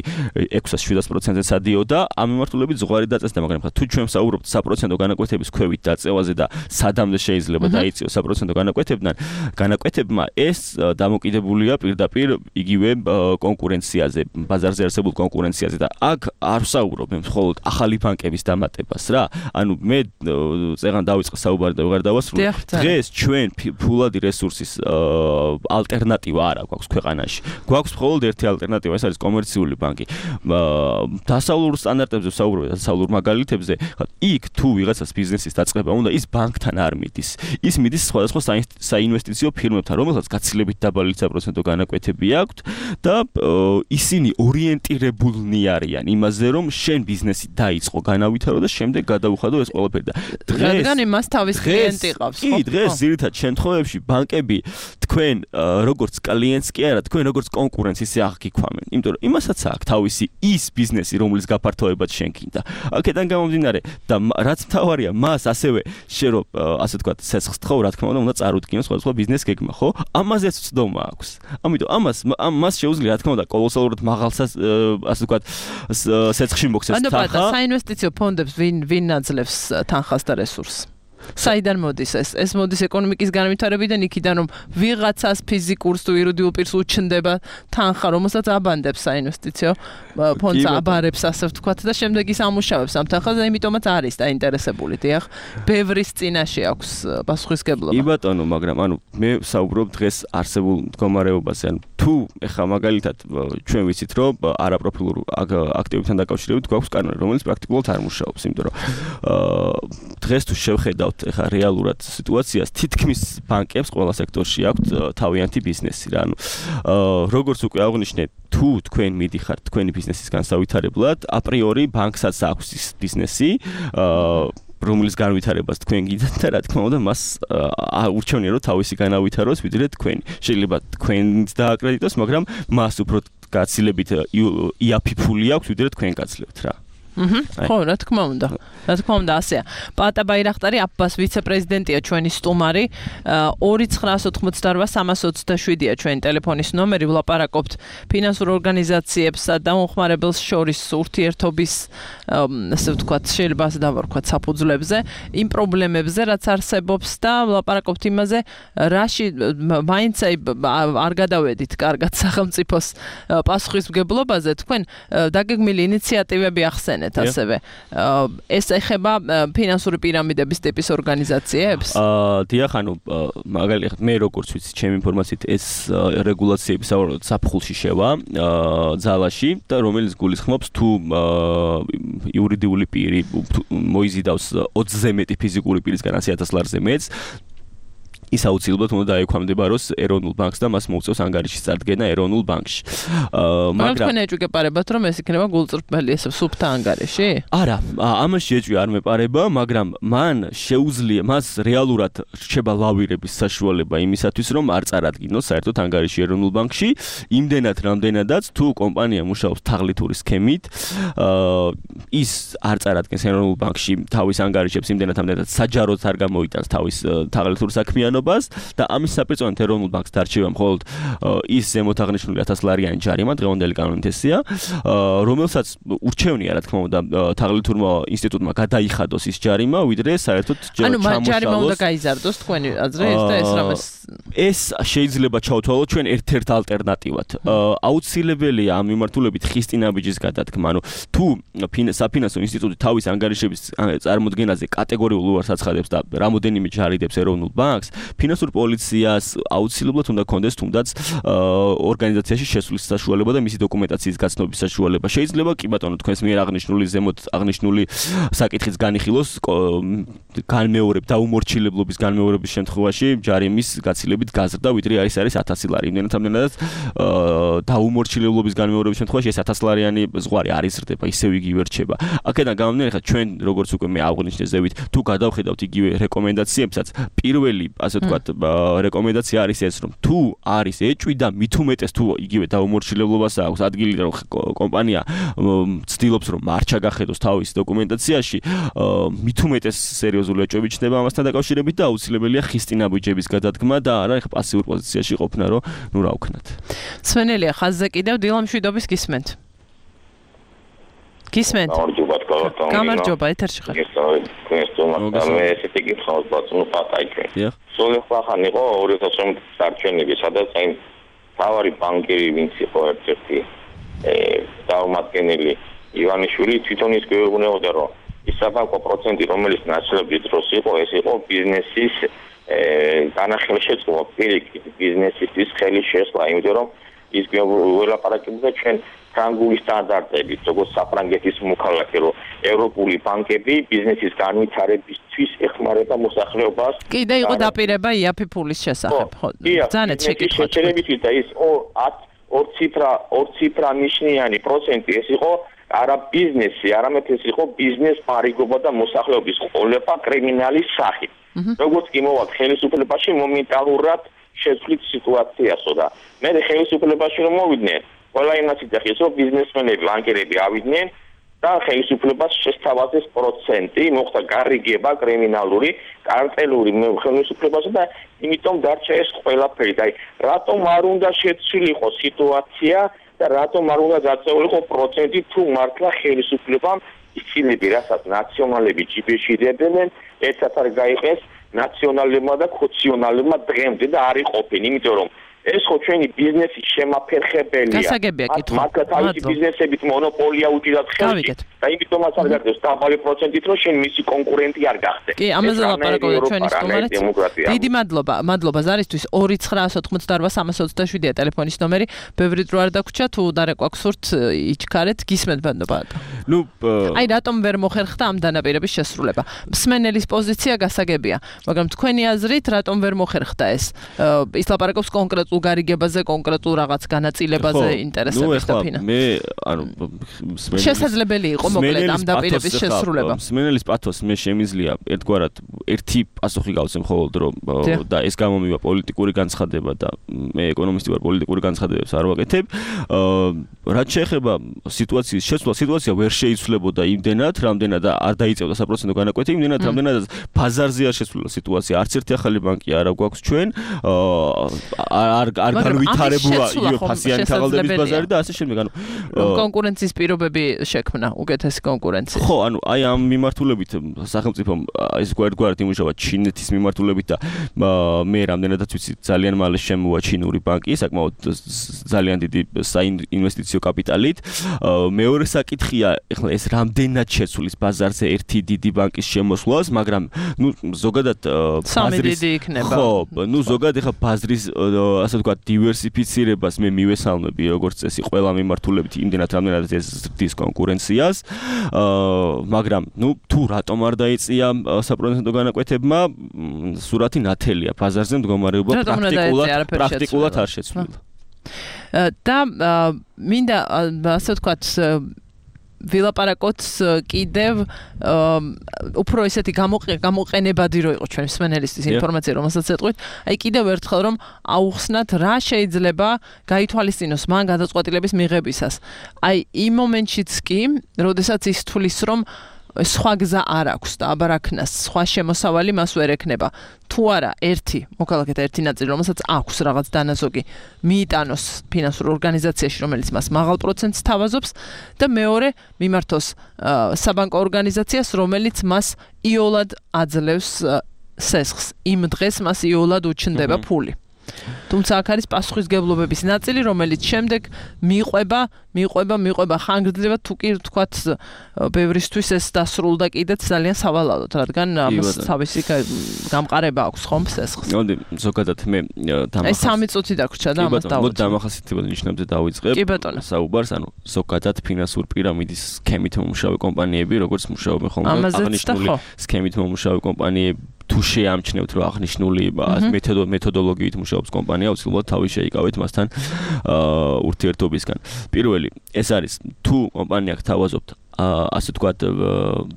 ექვსას შვიდას პროცენტზე სადიოდა ამ მიმართულებით ზღვარი დაწესდა მაგრამ ხა თუ ჩვენ ვსაუბრობთ საპროცენტო განაკვეთების ქვევით დაწევაზე და სადამდე შეიძლება დაიწიოს საპროცენტო განაკვეთებიდან განაკვეთებმა ეს დამოკიდებულია პირდაპირ იგივე კონკურენციაზე ბაზარზე ბაზარზე არსებულ კონკურენციაზე და აქ არ ვსაუბრობ მე მხოლოდ ახალი ბანკების დამატებას რა. ანუ მე წეგან დავიწყე საუბარი და ვეღარ დავასრულე. დღეს ჩვენ ფულადი რესურსის ალტერნატივა არ აქვს ქვეყანაში. გვაქვს მხოლოდ ერთი ალტერნატივა, ეს არის კომერციული ბანკი. დასავლურ სტანდარტებზე ვსაუბრობ, დასავლურ მაგალითებზე, იქ თუ ვიღაცას ბიზნესის დაწყება უნდა, ის ბანკთან არ მიდის. ის მიდის სხვადასხვა საინვესტიციო ფირმებთან, რომელსაც გაცილებით დაბალი საპროცენტო განაკვეთები აქვთ და ისინი ორიენტირებულნი არიან იმაზე, რომ შენ ბიზნესი დაიწყო, განავითარო და შემდეგ გადაუხადო ეს ყველაფერი და რადგან იმას თავის კლიენტი ყავს, ხო? კი, დღეს ძირითად შემთხვევებში ბანკები თქვენ როგორც კლიენტს კი არა, თქვენ როგორც კონკურენტს ისე აღგიქვამენ. იმიტომ რომ იმასაც აქვს თავისი ის ბიზნესი, რომლის გაფართოებაც შენ გინდა. აქედან გამომდინარე და რაც მთავარია, მას ასევე შე რომ ასე ვთქვათ, ცეცხლს თხოვ, რა თქმა უნდა, უნდა წარუდგინო სხვადასხვა ბიზნეს გეგმა, ხო? ამაზეც ვცდომა აქვს. ამიტომ ამას მას შეუძლია, რა თქმა უნდა, კოლოსალურად მაღალსას ასე ვთქვათ, ცეცხლში მოქცეს თანხა. ანუ პატა საინვესტიციო ფონდებს ვინ ვინ აძლევს თანხას და რესურსს? საიდან მოდის ეს? ეს მოდის ეკონომიკის განვითარებიდან, იქიდან რომ ვიღაცას ფიზიკურს თუ იურიდიულ პირს უჩნდება თანხა, რომელსაც აბანდებს საინვესტიციო ფონდს აბარებს, ასე ვთქვათ და შემდეგ ის ამუშავებს ამ თანხას და იმიტომაც არის დაინტერესებული, დიახ. ბევრის წინაშე აქვს პასუხისგებლობა. კი ბატონო, მაგრამ ანუ მე ვსაუბრობ დღეს არსებულ მდგომარეობაზე. ანუ თუ ეხა მაგალითად ჩვენ ვიცით, რომ არაპროფილურ აქტივებთან დაკავშირებით გვაქვს კანონი, რომელიც პრაქტიკულად არ მუშაობს, იმიტომ რომ დღეს თუ შევხედავ ეხა რეალურად სიტუაციას თითქმის ბანკებს ყველა სექტორში აქვთ თავიანთი ბიზნესი რა. ანუ როგორც უკვე აღნიშნე, თუ თქვენ მიდიხართ თქვენი ბიზნესის განსავითარებლად, აპრიორი ბანკსაც აქვს ის ბიზნესი, რომლის განვითარებას თქვენ გიდათ და რა თქმა უნდა მას ურჩევნია რომ თავისი განავითაროს ვიდრე თქვენი. შეიძლება თქვენც დააკრედიტოს, მაგრამ მას უფრო გაცილებით იაფი ფული აქვს ვიდრე თქვენ გაცლებთ რა. აჰა. ხო, რა თქმა უნდა. რა თქმა უნდა, ასეა. პატა ბაირახტარი აბას ვიცე-პრეზიდენტია ჩვენი სტუმარი. ორი ცხრაას ოთხმოცდაოთხ სამას ოცდაშვიდია ჩვენი ტელეფონის ნომერი. ვლაპარაკობთ ფინანსურ ორგანიზაციებსა და მომხმარებელს შორის ურთიერთობის, ასე ვთქვათ, შეიძლება ასე დავარქვათ, საფუძვლებზე, იმ პრობლემებზე, რაც არსებობს და ვლაპარაკობთ იმაზე, რაში მაინც არ გადავედით კარგად სახელმწიფოს პასუხისმგებლობაზე. თქვენ დაგეგმილი ინიციატივები ახსენეთ. ასევე ეს ეხება ფინანსური პირამიდების ტიპის ორგანიზაციებს? აა დიახ, ანუ მაგალითად მე როგორც ვიცი, ჩემი ინფორმაციით ეს რეგულაციები საერთოდ საფხულში შევა ძალაში და რომელიც გულისხმობს თუ იურიდიული პირი მოიზიდავს ოცზე მეტი ფიზიკური პირისგან ასი ათას ლარზე მეტს, ის აუცილებლად უნდა დაექვემდებაროს ეროვნულ ბანკს და მას მოუწევს ანგარიშის წარდგენა ეროვნულ ბანკში. მაგრამ თქვენ ეჭვგეპარებათ, რომ ეს იქნება გულწრფელი ესე სუფთა ანგარიში? არა, ამაში ეჭვი არ მეპარება, მაგრამ მან შეუძლია, მას რეალურად რჩება ლავირების საშუალება იმისათვის, რომ არ წარადგინოს საერთოდ ანგარიში ეროვნულ ბანკში, იმდენად რამდენადაც თუ კომპანია მუშაობს თაღლითური სქემით, ის არ წარადგენს ეროვნულ ბანკში თავის ანგარიშებს იმდენად რამდენადაც საჯაროდ არ გამოიტანს თავის თაღლითურ საქმიანობას და ამის საპირწონედ ეროვნულ ბანკს დარჩება მხოლოდ ის ზემოთ აღნიშნული ათას ლარიანი ჯარიმა, დღევანდელი კანონით ესეა, რომელსაც ურჩევნია, რა თქმა უნდა, თაღლითურმა ინსტიტუტმა გადაიხადოს ის ჯარიმა, ვიდრე საერთოდ ჩამოშალოს. ანუ ჯარიმა უნდა გაიზარდოს თქვენი აზრით და ეს რამეს ეს შეიძლება ჩავთვალოთ ჩვენ ერთ-ერთ ალტერნატივად. აუცილებელია ამ მიმართულებით ხისტინაბიჯის გადადგმა. ანუ თუ საფინანსო ინსტიტუტი თავის ანგარიშების წარმოდგენაზე კატეგორიულ უარს აცხადებს და რამოდენიმე ჯარიდებს ეროვნულ ბანკს, ფინანსურ პოლიციას აუცილებლად უნდა კონდეს თუნდაც ორგანიზაციაში შესვლის საშუალება და მისი დოკუმენტაციის გაცნობის საშუალება. შეიძლება კი ბატონო თქვენს მიერ აღნიშნული ზემოთ აღნიშნული საკითხიც განიხილოს განმეორებ დაუმორჩილებლობის განმეორების შემთხვევაში ჯარიმის გაცილებით გაზრდა, ვიდრე არის არის ათასი ლარი. იმდენად ამდენადაც დაუმორჩილებლობის განმეორების შემთხვევაში ეს ათას ლარიანი ზღვარი არ იზრდება, ისევ იგივე რჩება. აქედან გამომდინარე, ხა ჩვენ როგორც უკვე მე აღვნიშნე ზევით, თუ გადავხედავთ იგივე რეკომენდაციებსაც, პირველი ასე ვთქვათ, რეკომენდაცია არის ეს, რომ თუ არის ეჭვი და მით უმეტეს თუ იგივე დაუმორჩილებლობას აქვს ადგილი, რომ კომპანია ცდილობს რომ არ ჩაგახედოს თავის დოკუმენტაციაში, მით უმეტეს სერიოზული ეჭვები ჩნდება ამასთან დაკავშირებით და აუცილებელია ხისტინაბიჯების გადადგმა და არა ეხა პასიურ პოზიციაში ყოფნა, რომ ნუ რა ვქნათ. სვენელია ხაზზე კიდევ დილა მშვიდობის გისმენთ. გისმენთ. გამარჯობა, ეთერში ხარ. მე ესეთი გიხსოვს ბატონო პატაიკე. სულ ხან იყო ორი ათას ორმოცდაოთხ წარჩენილი, სადაც აი თავარი ბანკერი ვინც იყო ერთ-ერთი წარმომადგენელი ივანიშვილი თვითონ ის გვეუბნებოდა, რომ ის საბანკო პროცენტი, რომელიც ნაცვლობის დროს იყო, ეს იყო ბიზნესის განახილშეწყობა, პირიქით ბიზნესის ხელის შესვლა, იმიტომ რომ ის გვეულაპარაკებდა ჩვენ ფრანგული სტანდარტებით, როგორც საფრანგეთის მოქალაქე, რომ ევროპული ბანკები ბიზნესის განვითარებისთვის ეხმარება მოსახლეობას. კიდე იყო დაპირება იაფი ფულის შესახებ, ხო? ძალიან შეკითხვა. შეერებით და ის ორ ციფრა, ორ ციფრა ნიშნიანი პროცენტი ეს იყო არა ბიზნესი, არამედ ეს იყო ბიზნეს პარიგობა და მოსახლეობის ყოლება კრიმინალის სახით. როგორც კი მოვალ ხელისუფლებაში მომენტალურად შეცვლით სიტუაციასო და მე ხელისუფლებაში რომ მოვიდნენ, ყველა იმას იცახეს, რომ ბიზნესმენები, ბანკერები ავიდნენ და ხელისუფლებას შესთავაზეს პროცენტი, მოხდა გარიგება კრიმინალური, კარტელური ხელისუფლებასა და იმიტომ დარჩა ეს ყველაფერი. და რატომ არ უნდა შეცვლილიყო სიტუაცია და რატომ არ უნდა გაწეულიყო პროცენტი თუ მართლა ხელისუფლებამ იცილები, რასაც ნაციონალები ჯიბეში დებენ, ერთად არ გაიყეს ნაციონალებმა და ქოციონალებმა დღემდე და არ იყოფენ, იმიტომ რომ ეს ხო ჩვენი ბიზნესის შემაფერხებელია. გასაგებია კითხვა. მაგათ თავისი ბიზნესებით მონოპოლია უჭირდათ ხელში და იმიტომაც არ გარდებს დაბალი პროცენტით, რომ შენ მისი კონკურენტი არ გახდე. კი, ამაზე ლაპარაკობთ ჩვენი სტუმარით. დიდი მადლობა, მადლობა ზარისთვის. ორი ცხრა ოთხმოცდაოთხ სამას ოცდაშვიდია ტელეფონის ნომერი. ბევრი დრო არ დაგვრჩა, თუ დარეკვა გსურთ იჩქარეთ, გისმენთ ბანდება. ნუ აი რატომ ვერ მოხერხდა ამ დანაპირების შესრულება? მსმენელის პოზიცია გასაგებია, მაგრამ თქვენი აზრით რატომ ვერ მოხერხდა ეს? ის ლაპარაკობს კონკრეტ უგარიგებაზე, კონკრეტულ რაღაც განაწილებაზე ინტერესების და ფინანსების. მე ანუ შესაძლებელი იყო მოკლედ ამ დაპირების შესრულება. მსმენელის პათოს მე შემიძლია ერთგვარად ერთი პასუხი გავცემ მხოლოდ რომ და ეს გამომივა პოლიტიკური განცხადება და მე ეკონომისტი ვარ, პოლიტიკური განცხადებებს არ ვაკეთებ. რაც შეეხება სიტუაციის შეცვლა, სიტუაცია ვერ შეიცვლებოდა იმდენად, რამდენად არ დაიწევდა საპროცენტო განაკვეთი, იმდენად რამდენად ბაზარზე არ შეცვლილა სიტუაცია. არც ერთი ახალი ბანკი არ გვაქვს ჩვენ. არ არ განვითარებულა იო ფასიანი თაღალდების ბაზარი და ასე შემდეგ. ანუ კონკურენციის პირობები შექმნა, უკეთესი კონკურენცია. ხო, ანუ აი ამ მიმართულებით სახელმწიფომ ეს გვერდგვერდ იმუშავა ჩინეთის მიმართულებით და მე რამდენადაც ვიცი ძალიან მალე შემოვა ჩინური ბანკი, საკმაოდ ძალიან დიდი საინვესტიციო კაპიტალით. მეორე საკითხია, ეხლა ეს რამდენად შეცვლის ბაზარზე ერთი დიდი ბანკის შემოსვლას, მაგრამ ნუ ზოგადად ბაზრის ხო, ნუ ზოგადად ეხლა ბაზრის ასე ვთქვათ დივერსიფიცირებას მე მივესალმები როგორც წესი ყველა მიმართულებით იმდენად რამდენადაც ეს ზრდის კონკურენციას. მაგრამ ნუ თუ რატომ არ დაიწია საპროცენტო განაკვეთებმა, სურათი ნათელია, ბაზარზე მდგომარეობა პრაქტიკულად პრაქტიკულად არ შეცვლილა. და მინდა ასე ვთქვათ ვილაპარაკოთ კიდევ უფრო ესეთი გამოყენებადი რო იყო ჩვენ მსმენელისთვის ინფორმაცია, რომელსაც ეტყვით. აი კიდევ ერთხელ რომ აუხსნათ რა შეიძლება გაითვალისწინოს მან გადაწყვეტილების მიღებისას. აი იმ მომენტშიც კი, როდესაც ის თulis რომ სხვა გზა არ აქვს და აბარაქნას სხვა შემოსავალი მას ვერ ექნება. თუ არა ერთი მოქალაქეთა ერთი ნაწილი, რომელსაც აქვს რაღაც დანაზოგი, მიიტანოს ფინანსურ ორგანიზაციაში, რომელიც მას მაღალ პროცენტს თავაზობს და მეორე მიმართოს საბანკო ორგანიზაციას, რომელიც მას იოლად აძლევს სესხს. იმ დღეს მას იოლად უჩნდება ფული. თუმცა აქ არის პასუხისგებლობების ნაწილი, რომელიც შემდეგ მიყვება, მიყვება, მიყვება ხანგრძლივად, თუ კი ვთქვათ, ბევრისთვის ეს დასრულდა კიდეც ძალიან სავალალოდ, რადგან ამას თავისი გამყარება აქვს ხომ სესხს. მოდი, ზოგადად მე დამახასიათებ. აი სამი წუთი დაგვრჩა და ამას დავუწყებ. მოდი დამახასიათებელ ნიშნებზე დავიწყებ. კი ბატონო. საუბარს, ანუ ზოგადად ფინანსურ პირამიდის სქემით მომუშავე კომპანიები, როგორც მუშაობენ ხოლმე აღნიშნული სქემით მომუშავე კომპანიები თუ შეამჩნევთ რომ აღნიშნული მეთოდოლოგიით მუშაობს კომპანია, უცილებლად თავი შეიკავეთ მასთან ურთიერთობისგან. პირველი, ეს არის თუ კომპანია გთავაზობთ ასე ვთქვათ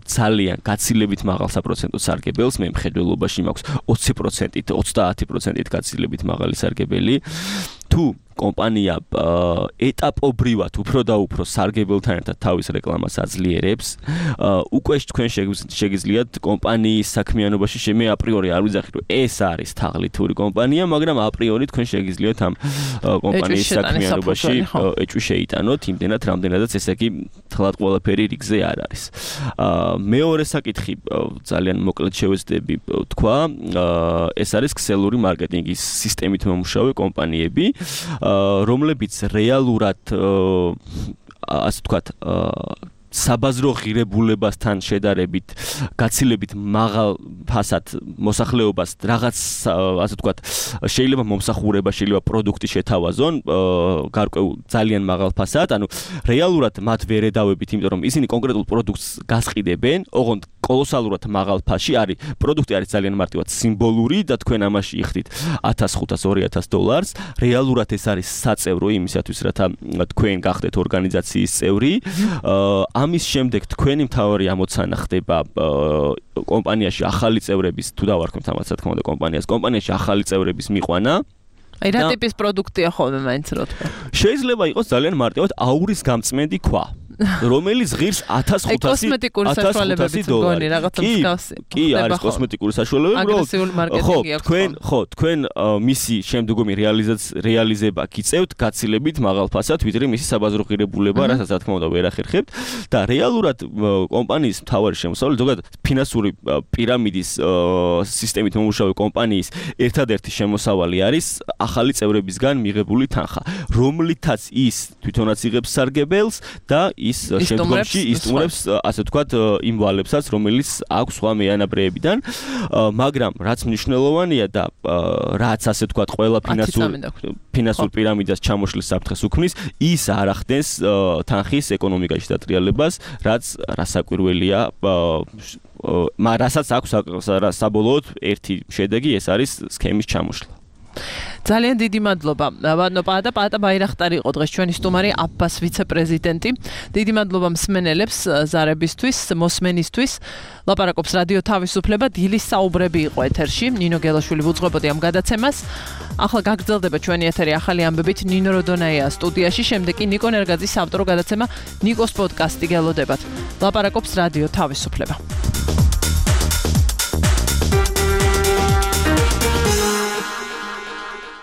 ძალიან გაცილებით მაღალ საპროცენტო სარგებელს, მე მხედველობაში მაქვს ოცი პროცენტით, ოცდაათი პროცენტით გაცილებით მაღალი სარგებელი. თუ კომპანია ეტაპობრივად უფრო და უფრო სარგებელთან ერთად თავის რეკლამას აძლიერებს, უკვე თქვენ შეგიძლიათ კომპანიის საქმიანობაში შემე აპრიორი არ ვიძახით, რომ ეს არის თაღლითური კომპანია, მაგრამ აპრიორი თქვენ შეგიძლიათ ამ კომპანიის საქმიანობაში ეჭვი შეიტანოთ, იმდენად რამდენადაც ესე იგი თლად ყველაფერი რიგზე არ არის. მეორე საკითხი ძალიან მოკლედ შევეცდები თქვა, ეს არის ქსელური მარკეტინგის სისტემით მომუშავე კომპანიები. რომლებიც რეალურად ასე ვთქვათ საბაზრო ღირებულებასთან შედარებით გაცილებით მაღალ ფასად მოსახლეობას რაღაც ასე ვთქვათ შეიძლება მომსახურება, შეიძლება პროდუქტი შეთავაზონ გარკვეულ ძალიან მაღალ ფასად, ანუ რეალურად მათ ვერ ედავებით, იმიტომ რომ ისინი კონკრეტულ პროდუქტს გასყიდებენ, ოღონდ კოლოსალურად მაღალ ფასში არის. პროდუქტი არის ძალიან მარტივად სიმბოლური და თქვენ ამაში იხდით ათას ხუთას ორი ათას დოლარს. რეალურად ეს არის საწევრო იმისათვის, რათა თქვენ გახდეთ ორგანიზაციის წევრი. ამის შემდეგ თქვენი მთავარი ამოცანა ხდება კომპანიაში ახალი წევრების თუ დავარქმევთ ამას რა თქმა უნდა კომპანიას, კომპანიაში ახალი წევრების მიყვანა. აი რა ტიპის პროდუქტია ხოლმე მაინც რო თქვა. შეიძლება იყოს ძალიან მარტივად აურის გამწმენდი ქვა. რომელიც ღირს ათას ხუთასი დოლარი. კი, არის კოსმეტიკური საშუალებები, აგრესიული მარკეტინგი აქვს. თქვენ, ხო, თქვენ მისი შემდგომი რეალიზება გიწევთ გაცილებით მაღალ ფასად, ვიდრე მისი საბაზრო ღირებულება, რასაც რა თქმა უნდა ვერ ახერხებთ და რეალურად კომპანიის მთავარი შემოსავალი, ზოგადად ფინანსური პირამიდის სისტემით მომუშავე კომპანიის ერთადერთი შემოსავალი არის ახალი წევრებისგან მიღებული თანხა, რომლითაც ის თვითონაც იღებს სარგებელს და ის შემდგომში ისტუმრებს ასე ვთქვათ იმ ვალებსაც, რომელიც აქვს სხვა მეანაბრეებიდან, მაგრამ რაც მნიშვნელოვანია და რაც ასე ვთქვათ ყველა ფინანსურ ფინანსურ პირამიდას ჩამოშლის საფრთხეს უქმნის, ის არ ახდენს თანხის ეკონომიკაში დატრიალებას, რაც რასაკვირველია, რასაც აქვს საბოლოოდ ერთი შედეგი, ეს არის სქემის ჩამოშლა. ძალიან დიდი მადლობა. ბატონო პაატა, პაატა ბაირახტარი იყო დღეს ჩვენი სტუმარი, აფბას ვიცე-პრეზიდენტი. დიდი მადლობა მსმენელებს ზარებისთვის, მოსმენისთვის. ლაპარაკობს რადიო თავისუფლება, დილის საუბრები იყო ეთერში. ნინო გელაშვილი ვუძღვებოდი ამ გადაცემას. ახლა გაგრძელდება ჩვენი ეთერი ახალი ამბებით ნინო როდონაია სტუდიაში, შემდეგ კი ნიკო ნერგაძის ავტორო გადაცემა ნიკოს პოდკასტი გელოდებათ. ლაპარაკობს რადიო თავისუფლება.